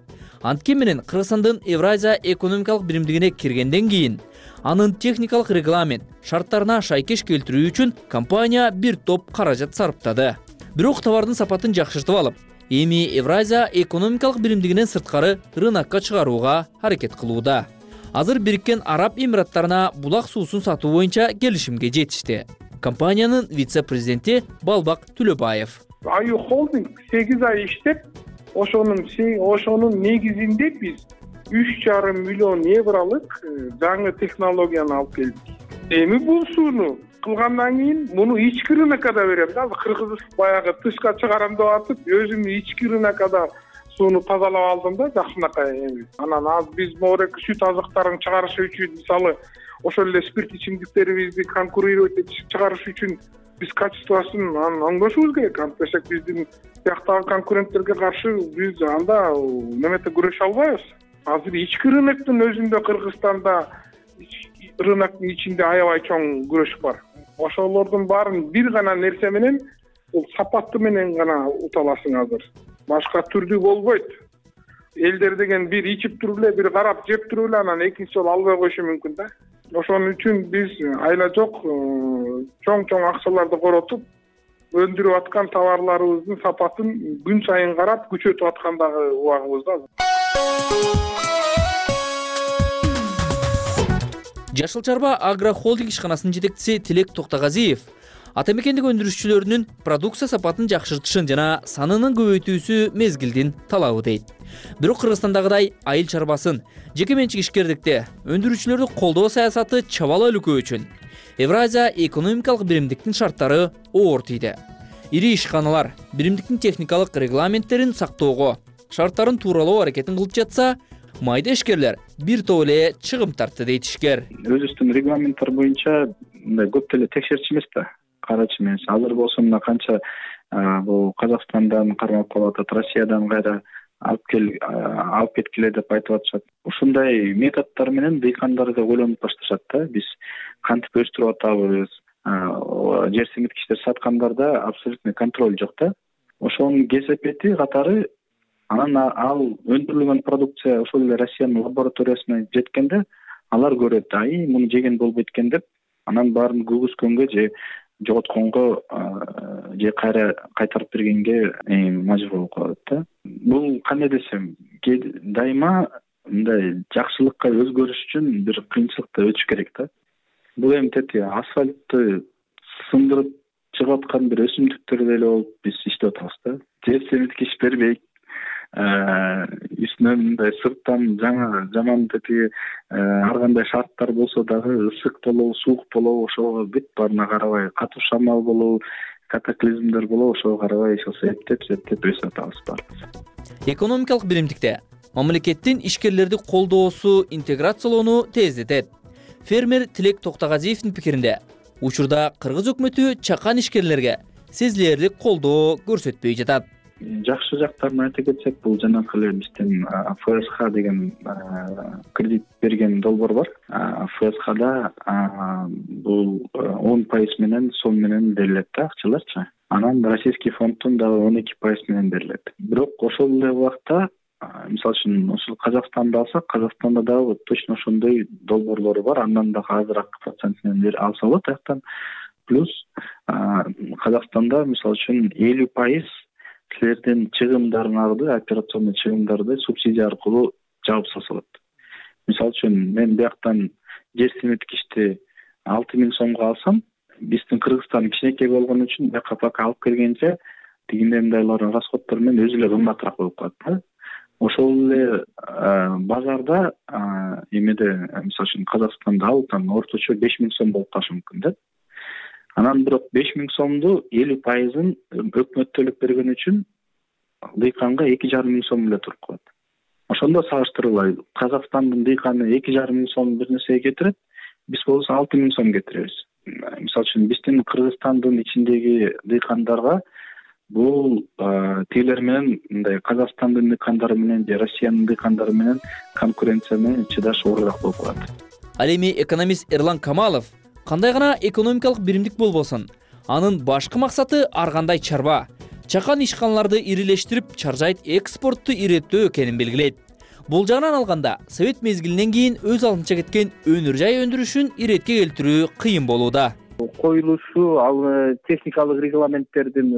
Анткени менен Кыргызстандын Евразия экономикалык биримдигине киргенден кийин анын техникалык регламент шарттарына шайкеш келтирүү үчүн компания бир топ каражат сарптады. Бирок товардын сапатын жакшыртып алып, эми Евразия экономикалык биримдигинен сырткары рынокко чыгарууга аракет кылууда. Азыр Бириккен Араб Эмираттарына булак суусун сатуу боюнча келишимге жетишти. Компаниянын вице-президенти Балбак Түлөбаев. Аю холдинг 8 ай иштеп, ошонун негизинде биз 3,5 миллион евролук жаңы технологияны алып келдик. Эми бул сууну кылгандан кийин муну ички рынокко да беребиз. Азыр Кыргыз баягы тышка чыгарам деп атып, өзүм ички рынокко да сууну тазалап алдым да жакшынакай эми. Анан азыр биз могу сүт азыктарын чыгарыш үчүн, мисалы, ошол эле спирт ичимдиктерибизди конкурировать этип чыгарыш үчүн биз качествосын оңдошубуз керек. Антпесек биздин бияктагы конкуренттерге каршы биз анда немете күрөшө албайбыз. Азыр ички рыноктун өзүндө Кыргызстанда рыноктун ичинде аябай чоң күрөш бар. Ошолордун баарын бир гана нерсе менен, бул сапаты менен гана ута аласың азыр. Башка түрдүү болбойт. Элдер деген бир ичип туруп эле, бир карап жеп туруп эле, анан экинчи жолу албай коюшу мүмкүн да. Ошон үчүн биз айла жок чоң акчаларды коротуп, өндүрүп аткан товарларыбыздын сапатын күн сайын карап күчөтүп аткан дагы убагыбыз да. Жашыл Чарба Агро холдинг ишканасынын жетекчиси Тилек Токтогазиев ата мекендик өндүрүшчүлөрүнүн продукция сапатын жакшыртышын жана санынын көбөйтүүсү мезгилдин талабы дейт. Бирок Кыргызстандагыдай айыл чарбасын, жеке менчик ишкердикти, өндүрүүчүлөрдү колдоо саясаты чабала өлкө үчүн Евразия экономикалык биримдиктин шарттары оор тийди. Ири ишканалар биримдиктин техникалык регламенттерин сактоого, шарттарын тууралоо аракетин кылып жатса, майда ишкерлер бир топ эле чыгым тартты дейт ишкер. Өзүбүздүн регламенттер боюнча мындай көп деле текшерчү эмес да, карачы эмес. Азыр болсо мына канча бул Казакстандан кармап калып атат, Россиядан кайра алып кеткиле деп айтып атышат. Ушундай методдор менен дыйкандарды ойлонуп башташат да. Биз кантип өстүрүп атабыз, жер семирткичтер саткандарда абсолютный контроль жок да. Ошонун кесепети катары анан ал өндүрүлгөн продукция ошол эле Россиянын лабораториясына жеткенде алар көрөт, муну жеген болбойт экен деп, анан баарын күгүзгөнгө же жоготконго же кайра кайтарып бергенге мажбур болуп калат да. Бул кандай десем, дайыма мындай жакшылыкка өзгөрүш үчүн бир кыйынчылыкты өтүш керек да. Бул эми тети асфальтты сындырып чыгып аткан бир өсүмдүктөр деле болуп биз иштеп атабыз да. Жер семирткич бербейт, үстүнөн мындай сырттан жаман тети ар кандай шарттар болсо дагы ысык болобу, суук болобу, ошого бүт баарына карабай, катуу шамал болобу, катаклизмдер болобу, ошого карабай эптеп өсүп атабыз баарыбыз. Экономикалык биримдикте мамлекеттин ишкерлерди колдоосу интеграциялоону тездетет. Фермер Тилек Токтогазиевдин пикиринде, учурда кыргыз өкмөтү чакан ишкерлерге сезилерлик колдоо көрсөтпөй жатат. Жакшы жактарын айта кетсек, бул жанакы эле биздин ФСХ деген кредит берген долбоор бар. ФСХда бул 10% менен сом менен берилет да акчаларчы. Анан российский фонддон дагы 12% менен берилет. Бирок ошол эле убакта, мисалы үчүн ошол Казакстанды алсак, Казакстанда дагы точно ошондой долбоорлору бар. Андан дагы азыраак процент менен алса болот аяктан. Плюс Казакстанда мисалы үчүн 50% силердин чыгымдарыңарды, операционный чыгымдарды субсидия аркылуу жаап салса болот. Мисалы үчүн мен бияктан жер семирткичти 6000 сомго алсам, биздин Кыргызстан кичинекей болгон үчүн бияка пока алып келгенче тигиндей мындайлардын расходдору менен өзү эле кымбатыраак болуп калат да. Ошол эле базарда эмеде мисалы үчүн Казакстанда алып орточо 5000 сом болуп калышы мүмкүн да. Анан бирок 5000 сомду 50%-ын өкмөт төлөп берген үчүн дыйканга 2,5 сом эле туруп калат. Ошондо салыштырылай, Казакстандын дыйканы 2,5 сом бир нерсеге кетирет, биз болсо 6000 сом кетиребиз. Мисалы үчүн биздин Кыргызстандын ичиндеги дыйкандарга бул тилер менен мындай Казакстандын дыйкандары менен же Россиянын дыйкандары менен конкуренция менен чыдаш оорураак болуп калат. Ал эми экономист Эрлан Камалов кандай гана экономикалык биримдик болбосун, анын башкы максаты ар кандай чарба, чакан ишканаларды ирилештирип, чаржайт экспортту иреттөө экенин белгилейт. Бул жагынан алганда, совет мезгилинен кийин өз алдынча кеткен өнөр жай өндүрүшүн иретке келтирүү кыйын болууда. Коюлушу, ал техникалык регламенттердин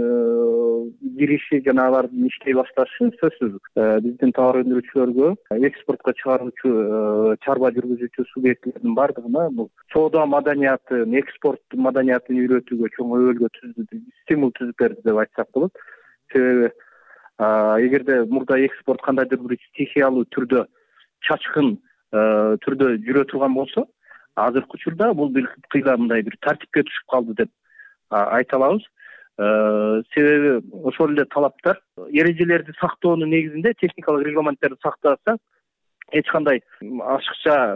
кириши жана алардын иштей башташы сөзсүз биздин товар өндүрүүчүлөргө, экспортко чыгаруучу, чарба жүргүзүүчү субъектилердин бардыгына бул соода маданиятын, экспорт маданиятын үйрөтүүгө чоң өбөлгө стимул түзүп берди деп айтсак болот. Себеби эгерде мурда экспорт кандайдыр бир стихиялуу түрдө, чачкын түрдө жүрө турган болсо, азыркы учурда бул бир кыйла мындай бир тартипке түшүп калды деп айта алабыз. Себеби ошол эле талаптар, эрежелерди сактоонун негизинде техникалык регламенттерди сактаса, эч кандай ашыкча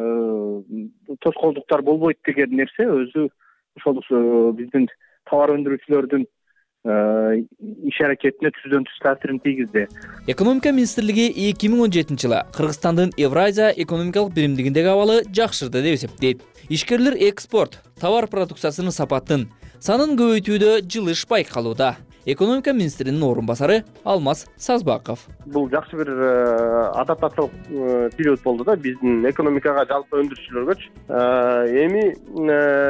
тоскоолдуктар болбойт деген нерсе өзү ошол биздин товар өндүрүүчүлөрдүн иш аракетине түздөн түз таасирин тийгизди. Экономика министрлиги 2017-жылы Кыргызстандын Евразия экономикалык биримдигиндеги абалы жакшырды деп эсептейт. Ишкерлер экспорт, товар продукциясынын сапатын, санын көбөйтүүдө жылыш байкалууда. экономика министринин орун басары Алмаз Сазбаков. Бул жакшы бир адаптациялык период болду да биздин экономикага, жалпы өндүрүүчүлөргөчү. Эми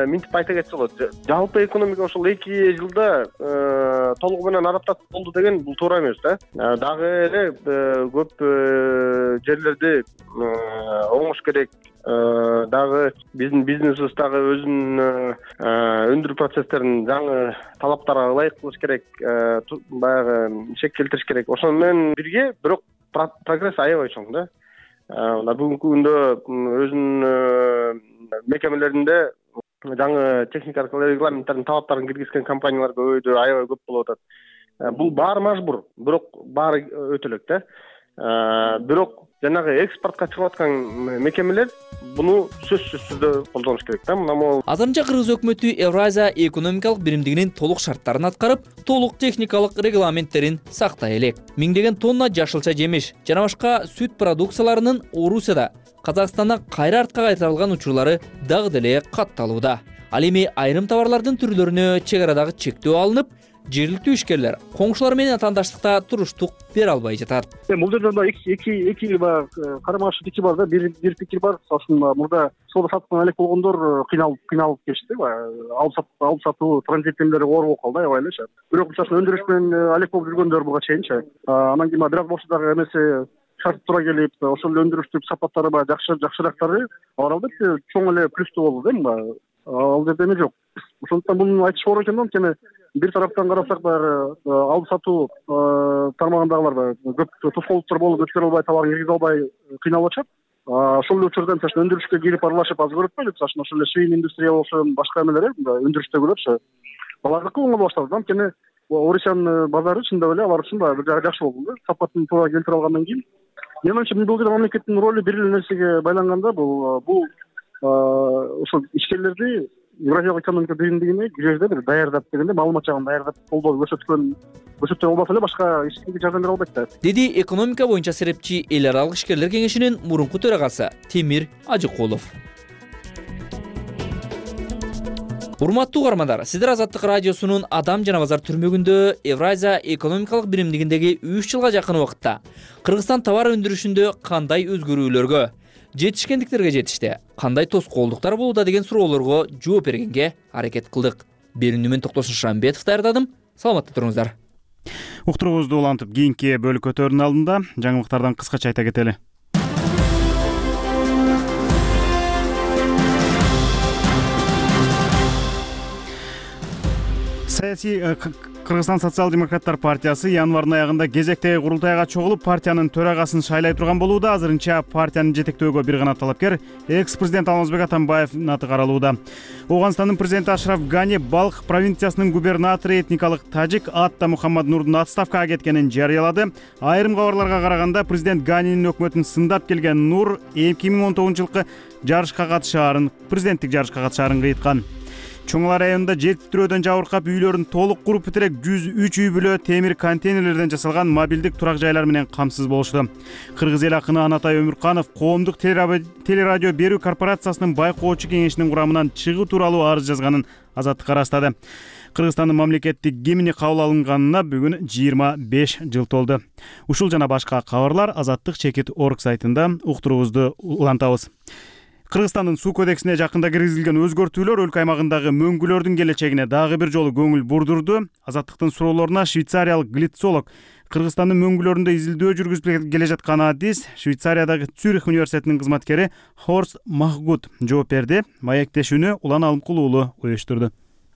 мынтип айта кетсе болот. Жалпы экономика ошол 2 жылда толугу менен адаптация болду деген бул туура эмес да. Дагы эле көп жерлерди оңош керек. Дагы биздин бизнесибиз дагы өзүнүн өндүрүү процесстерин жаңы талаптарга ылайык кылыш керек, баягы чек келтириш керек. Ошону менен бирге бирок прогресс аябай чоң да. Бүгүнкү күндө өзүнүн мекемелеринде жаңы техникалык регламенттердин талаптарын киргизген компаниялар көбөйдү, аябай көп болуп атат. Бул баары мажбур, бирок баары өтө элек да. Бирок жанагы экспортко чыгып аткан мекемелер буну сөзсүз түрдө колдонуш керек да. Азырынча Кыргыз өкмөтү Евразия экономикалык биримдигинин толук шарттарын аткарып, толук техникалык регламенттерин сактай элек. Миңдеген тонна жашылча жемиш жана башка сүт продукцияларынын Орусияда, Казакстандан кайра артка кайтарылган учурлары дагы деле катталууда. Ал эми айрым товарлардын түрлөрүнө чек арадагы чектөө алынып, жергиликтүү ишкерлер коңшулар менен атаандаштыкта туруштук бере албай жатат. Бул жерде эки карама каршы пикир бар да. Бир пикир бар. Мурда соода саттыкtan алек болгондор кыйналып кечти. Алып сатуу транзиттемелери оор болуп калды аябай элечи. Бирок өндүрүш менен алек болуп жүргөндөр буга чейинчи. Анан кийин бирок болсо дагы эмеси шарт туура келип, ошол өндүрүштүк сапаттары баягы жакшырактары алар албетте чоң эле плюстуу болду да. Ал жерде эме жок. Ошондуктан буну айтыш оор экен да. Анткени бир тараптан карасак баягы алып сатуу тармагындагылар көп тоскоолдуктар болуп өткөрө албай, товарын киргизе албай кыйналып атышат. Ошол эле учурда өндүрүшкө кирип аралашып аз көрөтпөйбү? Ошол эле свин индустрия болсо, башка эмелер өндүрүштөгүлөрчү. Алардыкы оңой башталды. Анткени Орусиянын базары чындап эле алар үчүн дагы бир жагы жакшы болду. Сапатын туура келтире алгандан кийин. Менимче бул жерде мамлекеттин ролу бир эле нерсеге байланганда, бул ошол ишкерлерди Евразиялык экономика биримдигине жерде бир даярдап дегенде, маалымат жагын даярдап колдоо көрсөткөн болбосо эле башка эч кимге жардам бере албайт да. Деди экономика боюнча серепчи эл аралык ишкерлер кеңешинин мурунку төрагасы Темир Ажыкулов. Урматтуу угармандар, сиздер Азаттык радиосунун Адам жана базар түрмөгүндө Евразия экономикалык биримдигиндеги 3 жылга жакын убакытта Кыргызстан товар өндүрүшүндө кандай өзгөрүүлөргө, жетишкендиктерге жетишти, кандай тоскоолдуктар болууда деген суроолорго жооп бергенге аракет кылдык. Берүүнү мен Токтосун Шамбетов даярдадым. Саламатта туруңуздар. Уктуруубузду улантып кийинки бөлүк өтөрүнүн алдында жаңылыктардан кыскача айта кетели. Саясий Кыргызстан социал-демократтар партиясы январдын аягында кезектеги курултайга чогулуп партиянын төрагасын шайлай турган болууда. Азырынча партиянын жетектөөгө бир гана талапкер экс-президент Алмазбек Атамбаевдин аты каралууда. Ооганстандын президенти Ашраф Гани Балх провинциясынын губернатору этникалык тажик Атта Мухаммад Нурдун отставкага кеткенин жарыялады. Айрым кабарларга караганда президент Ганинин өкмөтүн сындап келген Нур 2019-жылкы жарышка катышаарын, президенттик жарышка катышаарын кыйткан. Чоңлар районунда жетиптирөөдөн жабыркап үйлөрүн толук куруп битирек 103 үй бүлө темир контейнерлерден жасалган мобилдик турак жайлар менен камсыз болушту. Кыргыз эл акыны Анатай Өмүрканов коомдук телерадио берүү корпорациясынын байкоочу кеңешинин курамынан чыгуу тууралуу арыз жазганын Азаттыкка ырастады. Кыргызстандын мамлекеттик гимни кабыл алынганына бүгүн 25 жыл толду. Ушул жана башка кабарлар Азаттык.org сайтында уктуруубузду улантабыз. Кыргызстандын суу кодексине жакында киргизилген өзгөртүүлөр өлкө аймагындагы мөңгүлөрдүн келечегине дагы бир жолу көңүл бурдурду. Азаттыктын суроолоруна швейцариялык глицолог Кыргызстандын мөңгүлөрүндө изилдөө жүргүзүп келе жаткан адис Швейцариядагы Цюрих университетинин кызматкери Хорст Махгут жооп берди. Маектешүүнү Улан Алымкул уулу уюштурду.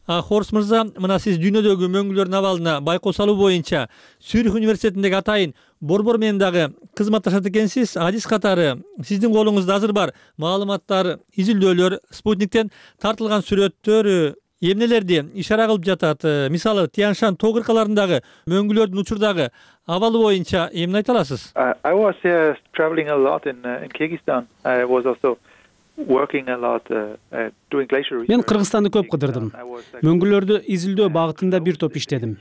Хорст мырза, мына сиз дүйнөдөгү мөңгүлөрдүн абалына байкоо салуу боюнча Цюрих университетиндеги атайын борбор менен дагы кызматташат экенсиз. Адис катары сиздин колуңузда азыр бар маалыматтар, изилдөөлөр, спутниктен тартылган сүрөттөр эмнелерди ишара кылып жатат? Мисалы, Тяньшан тоо кыркаларындагы мөңгүлөрдүн учурдагы абалы боюнча эмне айта аласыз? I was traveling a lot in Kyrgyzstan. I was also Мен Кыргызстанды көп кыдырдым. Мөңгүлөрдү изилдөө багытында бир топ иштедим.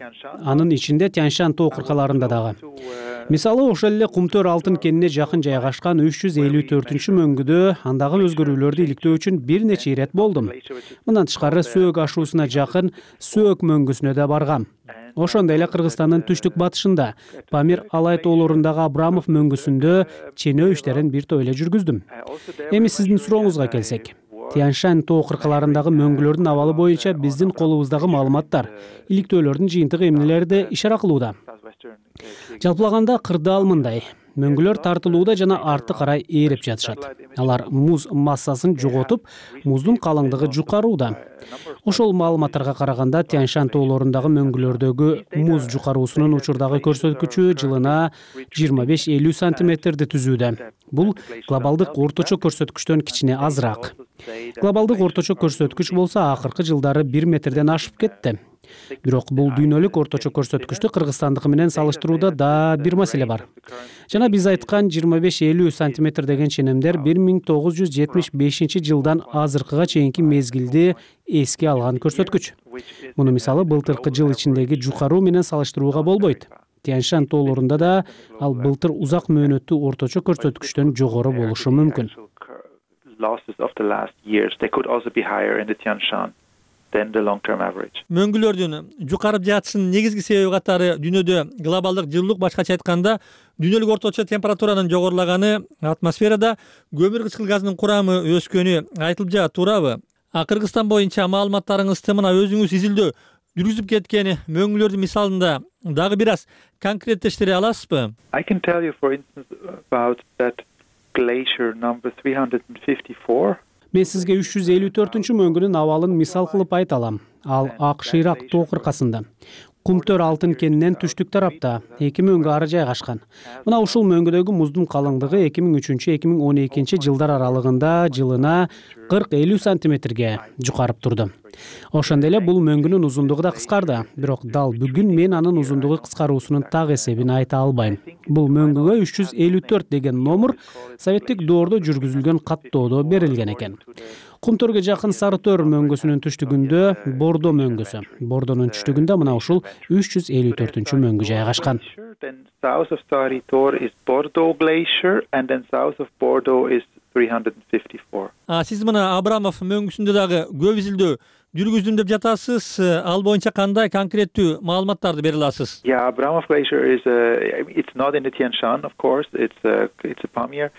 Анын ичинде Тяньшан тоо кыркаларында дагы. Мисалы, ошол эле Кумтөр алтын кенине жакын жайгашкан 354-мөңгүдө андагы өзгөрүүлөрдү иликтөө үчүн бир нече ирет болдум. Мындан тышкары Сөөк ашуусуна жакын Сөөк мөңгүсүнө да баргам. Ошондой эле Кыргызстандын түштүк батышында Памир Алай тоолорундагы Абрамов мөңгүсүндө ченөө иштерин бир топ эле жүргүздүм. Эми сиздин сурооңузга келсек, Тянь-Шань тоо кыркаларындагы мөңгүлөрдүн абалы боюнча биздин колубуздагы маалыматтар, иликтөөлөрдүн жыйынтыгы эмнелерди ишара кылууда? Жалпылаганда кырдаал мындай: мөңгүлөр тартылууда жана арты карай ээреп жатышат. Алар муз массасын жоготуп, муздун калыңдыгы жукарууда. Ошол маалыматтарга караганда Тянь-Шань тоолорундагы мөңгүлөрдөгү муз жукаруусунун учурдагы көрсөткүчү жылына 25-50 сантиметрди түзүүдө. Бул глобалдык орточо көрсөткүчтөн кичине азыраак. Глобалдык орточо көрсөткүч болсо акыркы жылдары 1 метрден ашып кетти. Бирок бул дүйнөлүк орточо көрсөткүчтү Кыргызстандыкы менен салыштырууда да бир маселе бар. Жана биз айткан 25-50 сантиметр деген ченемдер 1975 жылдан азыркыга чейинки мезгилди эске алган көрсөткүч. Муну мисалы былтыркы жыл ичиндеги жукаруу менен салыштырууга болбойт. Тянь-Шань тоолорунда да ал былтыр узак мөөнөттүү орточо көрсөткүчтөн жогору болушу мүмкүн. Мөңгүлөрдүн жукарып жатышынын негизги себеби катары дүйнөдө глобалдык жылуулук, башкача айтканда дүйнөлүк орточо температуранын жогорулаганы, атмосферада көмүр кычкыл газынын курамы өскөнү айтылып жатат, туурабы? Кыргызстан боюнча маалыматтарыңызды мына өзүңүз изилдөө жүргүзүп кеткен мөңгүлөрдүн мисалында дагы бир аз конкреттештире аласызбы? I can tell you, for instance, about that glacier number 354. Мен сизге 354-чү мөңгүнүн абалын мисал кылып айта алам. Ал Ак-Шыйрак тоо кыркасында. Кумтөр алтын кенинен түштүк тарапта 2 мөңгү ары жайгашкан. Мына ушул мөңгүдөгү муздун калыңдыгы 2003-2012 жылдар аралыгында жылына 40-50 сантиметрге жукарып турду. Ошондой эле бул мөңгүнүн узундугу да кыскарды, бирок дал бүгүн мен анын узундугу кыскаруусунун так эсебин айта албайм. Бул мөңгүгө 354 деген номер советтик доордо жүргүзүлгөн каттоодо берилген экен. Кумтөргө жакын Сарытөр мөңгүсүнүн түштүгүндө Бордо мөңгүсү, Бордонун түштүгүндө мына ушул 354-чү мөңгү жайгашкан. South of Saritor is Bordeaux Glacier, and then south of Bordeaux is 354. Сиз мына Абрамов мөңгүсүндө дагы көп изилдөө жүргүздүм деп жатасыз. Ал боюнча кандай конкреттүү маалыматтарды бере аласыз? Yeah, Abramov Glacier is it's not in the Tian-Shan, of course. It's a Pamir.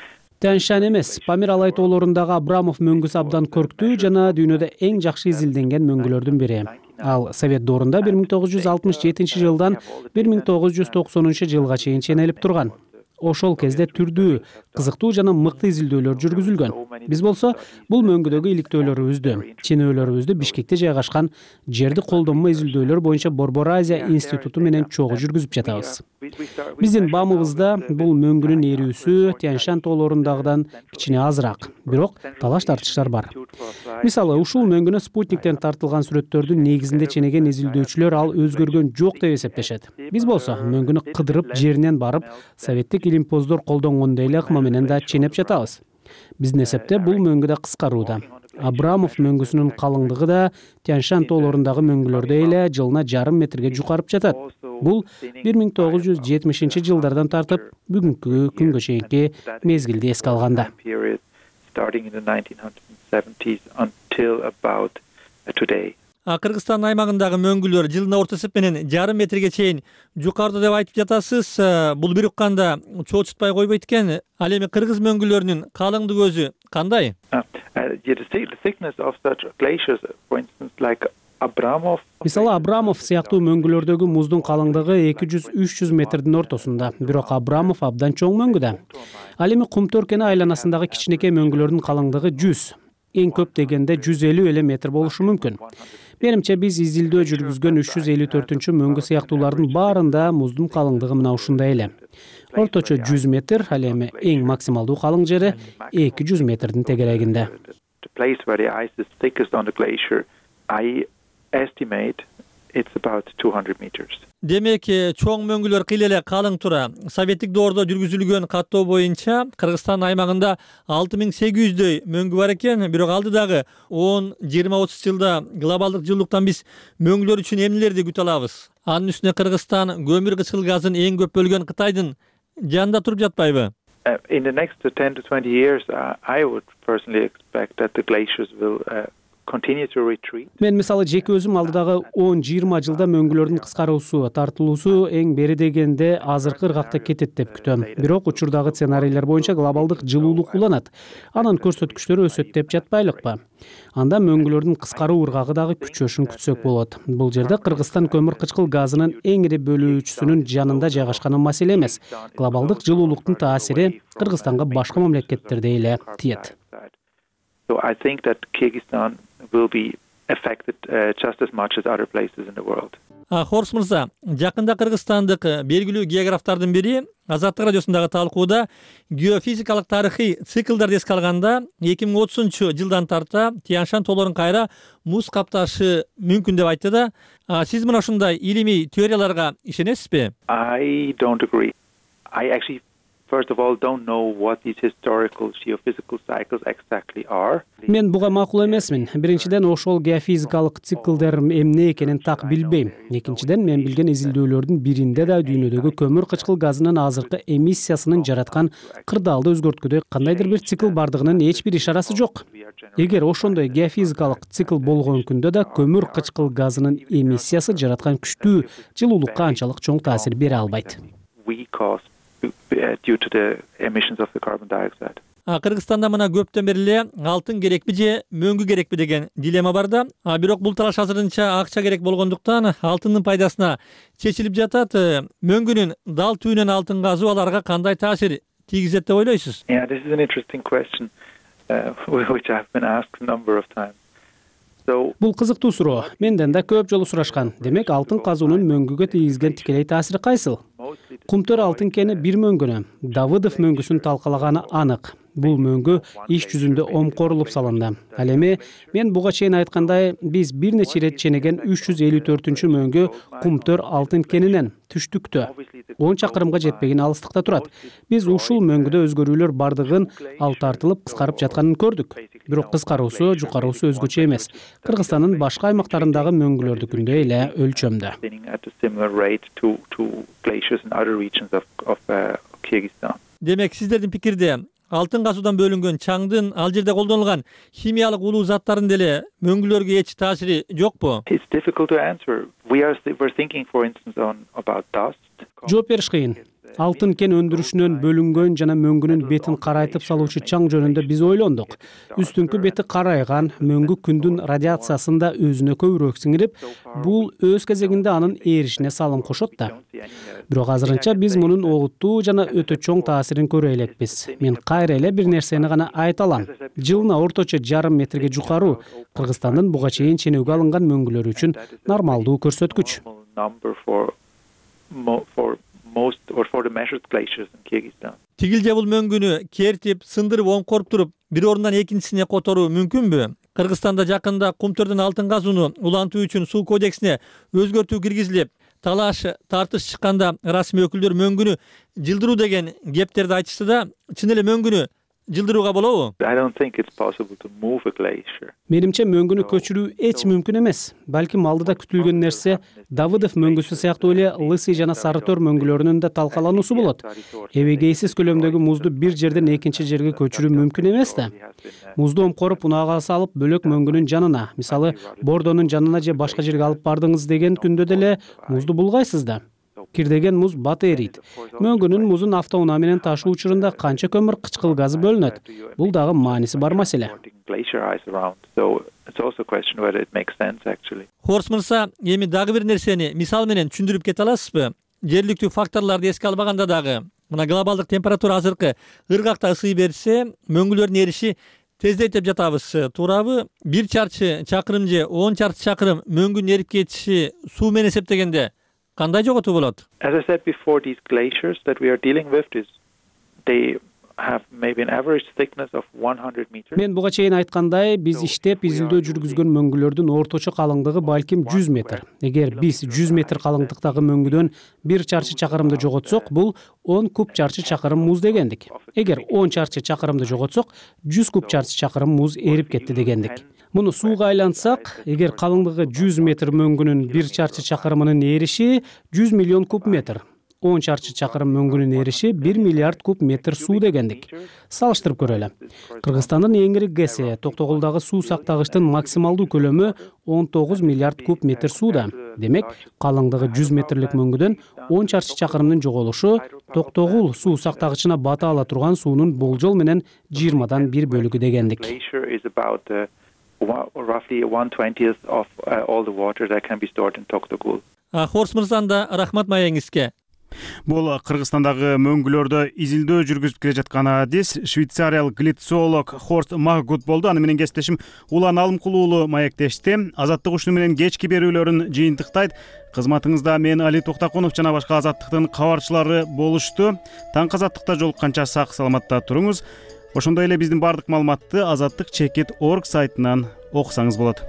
Тянь-Шань эмес, Памир Алай тоолорундагы Абрамов мөңгүсү абдан көрктүү жана дүйнөдө эң жакшы изилденген мөңгүлөрдүн бири. Ал Совет доорунда 1967 жылдан 1990 жылга чейин ченелип турган. Ошол кезде түрдүү, кызыктуу жана мыкты изилдөөлөр жүргүзүлгөн. Биз болсо бул мөңгүдөгү иликтөөлөрүбүздү, ченөөлөрүбүздү Бишкекте жайгашкан жерди колдонмо изилдөөлөр боюнча Борбор Азия институту менен чогуу жүргүзүп жатабыз. Биздин баамыбызда бул мөңгүнүн ээрүүсү Тянь-Шань тоолорундагыдан кичине азыраак, бирок талаш тартыштар бар. Мисалы, ушул мөңгүнө спутниктен тартылган сүрөттөрдүн негизинде ченеген изилдөөчүлөр ал өзгөргөн жок деп эсептешет. Биз болсо мөңгүнү кыдырып жеринен барып, советтик илимпоздор колдонгондой эле ыкма менен да ченеп жатабыз. Биздин эсепте бул мөңгү да кыскарууда. Абрамов мөңгүсүнүн калыңдыгы да Тянь-Шань тоолорундагы мөңгүлөрдөй эле жылына 1,5 метрге жукарып жатат. Бул 1970 жылдардан тартып бүгүнкү күнгө чейинки мезгилди эске алганда. Кыргызстан аймагындагы мөңгүлөр жылына орто эсеп менен 1,5 метрге чейин жукарды деп айтып жатасыз. Бул бир укканда чоочутпай койбойт экен. Ал эми кыргыз мөңгүлөрүнүн калыңдыгы өзү кандай? Мисалы, Абрамов сыяктуу мөңгүлөрдөгү муздун калыңдыгы 200-300 метрдин ортосунда, бирок Абрамов абдан чоң мөңгү да. Ал эми Кумтөр кени айланасындагы кичинекей мөңгүлөрдүн калыңдыгы 100, эң көп дегенде 150 эле метр болушу мүмкүн. Менимче биз изилдөө жүргүзгөн 354-чү мөңгү сыяктуулардын баарында муздун калыңдыгы мына ушундай эле. Орточо 100 метр, ал эми эң максималдуу калың жери 200 метрдин тегерегинде. It's about 200 meters. Демек, чоң мөңгүлөр кыйла эле калың тура. Советтик доордо жүргүзүлгөн каттоо боюнча Кыргызстан аймагында 6800дөй мөңгү бар экен, бирок алдыдагы 10, 20, 30 жылда глобалдык жылуулуктан биз мөңгүлөр үчүн эмнелерди күтө алабыз? Анын үстүнө Кыргызстан көмүр кычкыл газын эң көп бөлгөн Кытайдын жанында туруп жатпайбы? In the next 10 to 20 years, I would personally expect that the glaciers will мен мисалы жеке өзүм алдыдагы 10-20 жылда мөңгүлөрдүн кыскаруусу, тартылуусу эң бери дегенде азыркы ыргакта кетет деп күтөм. Бирок учурдагы сценарийлер боюнча глобалдык жылуулук уланат. Анын көрсөткүчтөрү өсөт деп жатпайлыкпы? Анда мөңгүлөрдүн кыскаруу ыргагы дагы күчөшүн күтсөк болот. Бул жерде Кыргызстан көмүр кычкыл газынын эң ири бөлүүчүсүнүн жанында жайгашканы маселе эмес. Глобалдык жылуулуктун таасири Кыргызстанга башка мамлекеттердей эле тиет. So I think that Kyrgyzstan will be affected just as much as other places in the world. Хорс мырза, жакында кыргызстандык белгилүү географтардын бири Азаттык радиосундагы талкууда геофизикалык тарыхый циклдарды эске алганда 2030-жылдан тарта Тянь-Шань тоолорун кайра муз капташы мүмкүн деп айтты да. Сиз мына ушундай илимий теорияларга ишенесизби? I don't agree. I actually first of all don't know what these historical geophysical cycles exactly are. Мен буга макул эмесмин. Биринчиден, ошол геофизикалык циклдер эмне экенин так билбейм. Экинчиден, мен билген изилдөөлөрдүн биринде да дүйнөдөгү көмүр кычкыл газынын азыркы эмиссиясынын жараткан кырдаалды өзгөрткүдөй кандайдыр бир цикл бардыгынын эч бир ишарасы жок. Эгер ошондой геофизикалык цикл болгон күндө да көмүр кычкыл газынын эмиссиясы жараткан күчтүү жылуулукка анчалык чоң таасир бере албайт. Due to the emissions of the carbon dioxide. Кыргызстанда мына көптөн бери эле алтын керекпи же мөңгү керекпи деген дилемма бар да. Бирок бул талаш азырынча акча керек болгондуктан алтындын пайдасына чечилип жатат. Мөңгүнүн дал түбүнөн алтын казуу аларга кандай таасир тийгизет деп ойлойсуз? Yeah, this is an interesting question, which I've been asked a number of times. Бул кызыктуу суроо. Менден да көп жолу сурашкан. Демек, алтын казуунун мөңгүгө тийгизген тикелей таасири кайсыл? Кумтөр алтын кени бир мөңгүнө, Давыдов мөңгүсүн талкалаганы анык. Бул мөңгү иш жүзүндө омкорулуп салынды. Ал эми мен буга чейин айткандай, биз бир нече ирет ченеген 354-мүнчү мөңгү Кумтөр алтын кенинен түштүктө 10 чакырымга жетпеген алыстыкта турат. Биз ушул мөңгүдө өзгөрүүлөр бардыгын, ал тартылып кыскарып жатканын көрдүк. Бирок кыскаруусу, жукаруусу өзгөчө эмес. Кыргызстандын башка аймактарындагы мөңгүлөрдүкүндөй эле өлчөмдө. Демек, сиздердин пикирде алтын казуудан бөлүнгөн чаңдын ал жерде колдонулган химиялык улуу заттардын деле мөңгүлөргө эч таасири жокпу? It's difficult to answer. We're thinking, for instance, about dust. Жооп бериш кыйын. Алтын кен өндүрүшүнөн бөлүнгөн жана мөңгүнүн бетин карайтып салуучу чаң жөнүндө биз ойлондук. Үстүңкү бети карайган, мөңгү күндүн радиациясын да өзүнө көбүрөөк сиңирип, бул өз кезегинде анын эришине салым кошот да. Бирок азырынча биз мунун олуттуу жана өтө чоң таасирин көрө элекпиз. Мен кайра эле бир нерсени гана айта алам. Жылына орточо жарым метрге жукаруу Кыргызстандын буга чейин ченөөгө алынган мөңгүлөр үчүн нормалдуу көрсөткүч. Тигил же бул мөңгүнү кертип, сындырып, оңкоруп туруп, бир орундан экинчисине которуу мүмкүнбү? Кыргызстанда жакында Кумтөрдөн алтын казууну улантуу үчүн суу кодексине өзгөртүү киргизилип, талаш, тартыш чыкканда расмий өкүлдөр мөңгүнү жылдыруу деген кептерди айтышты да. Чын эле мөңгүнү жылдырууга болобу? Менимче мөңгүнү көчүрүү эч мүмкүн эмес. Балким алдыда күтүлгөн нерсе Давыдов мөңгүсү сыяктуу эле Лысый жана Сарытөр мөңгүлөрүнүн да талкалануусу болот. Эбегейсиз көлөмдөгү музду бир жерден экинчи жерге көчүрүү мүмкүн эмес да. Музду омкоруп унаага салып бөлөк мөңгүнүн жанына, мисалы Бордонун жанына же башка жерге алып бардыңыз деген күндө деле музду булгайсыз да. Кирдеген муз бат эрийт. Мөңгүнүн музун автоунаа менен ташуу учурунда канча көмүр кычкыл газы бөлүнөт? Бул дагы мааниси бар маселе. Хорс мырза, эми дагы бир нерсени мисал менен түшүндүрүп кете аласызбы? Жергиликтүү факторлорду эске албаганда дагы, мына глобалдык температура азыркы ыргакта ысый берсе, мөңгүлөрдүн эриши тездейт деп жатабыз. Туурабы? 1 чарчы чакырым же 10 чарчы чакырым мөңгүнүн эрип кетиши суу менен эсептегенде кандай жоготуу болот? As I said before, these glaciers that we are dealing with, they have maybe an average thickness of 100 meters. Мен буга чейин айткандай, биз иштеп изилдөө жүргүзгөн мөңгүлөрдүн орточо калыңдыгы балким 100 метр. Эгер биз 100 метр калыңдыктагы мөңгүдөн 1 чарчы чакырымды жоготсок, бул 10 куб чарчы чакырым муз дегендик. Эгер 10 чарчы чакырымды жоготсок, 100 куб чарчы чакырым муз эрип кетти дегендик. Муну сууга айлантсак, эгер калыңдыгы 100 метр мөңгүнүн 1 чарчы чакырымынын эриши 100 миллион куб метр. 10 чарчы чакырым мөңгүнүн эриши 1 миллиард куб метр суу дегендик. Салыштырып көрөлү. Кыргызстандын эң ири ГЭСи Токтогулдагы суу сактагычтын максималдуу көлөмү 19 миллиард куб метр сууда. Демек, калыңдыгы 100 метрлик мөңгүдөн 10 чарчы чакырымдын жоголушу Токтогул суу сактагычына бата ала турган суунун болжол менен 20дан 1 бөлүгү дегендик. Roughly 1/20 of all the water that can be stored in Toktogul. Хорс мырзаны да рахмат маегиңизге. Бул Кыргызстандагы мөңгүлөрдө изилдөө жүргүзүп келе жаткан адис швейцариялык глицолог Хорст Маггут болду. Аны менен кесиптешим Улан Алымкулуу маектешти. Азаттык ушуну менен кечки берүүлөрүн жыйынтыктайт. Кызматыңызда мен Али Токтакунов жана башка Азаттыктын кабарчылары болушту. Таңкы Азаттыкта жолукканча сак саламатта туруңуз. Ошондой эле биздин бардык маалыматты Азаттык.org сайтынан окусаңыз болот.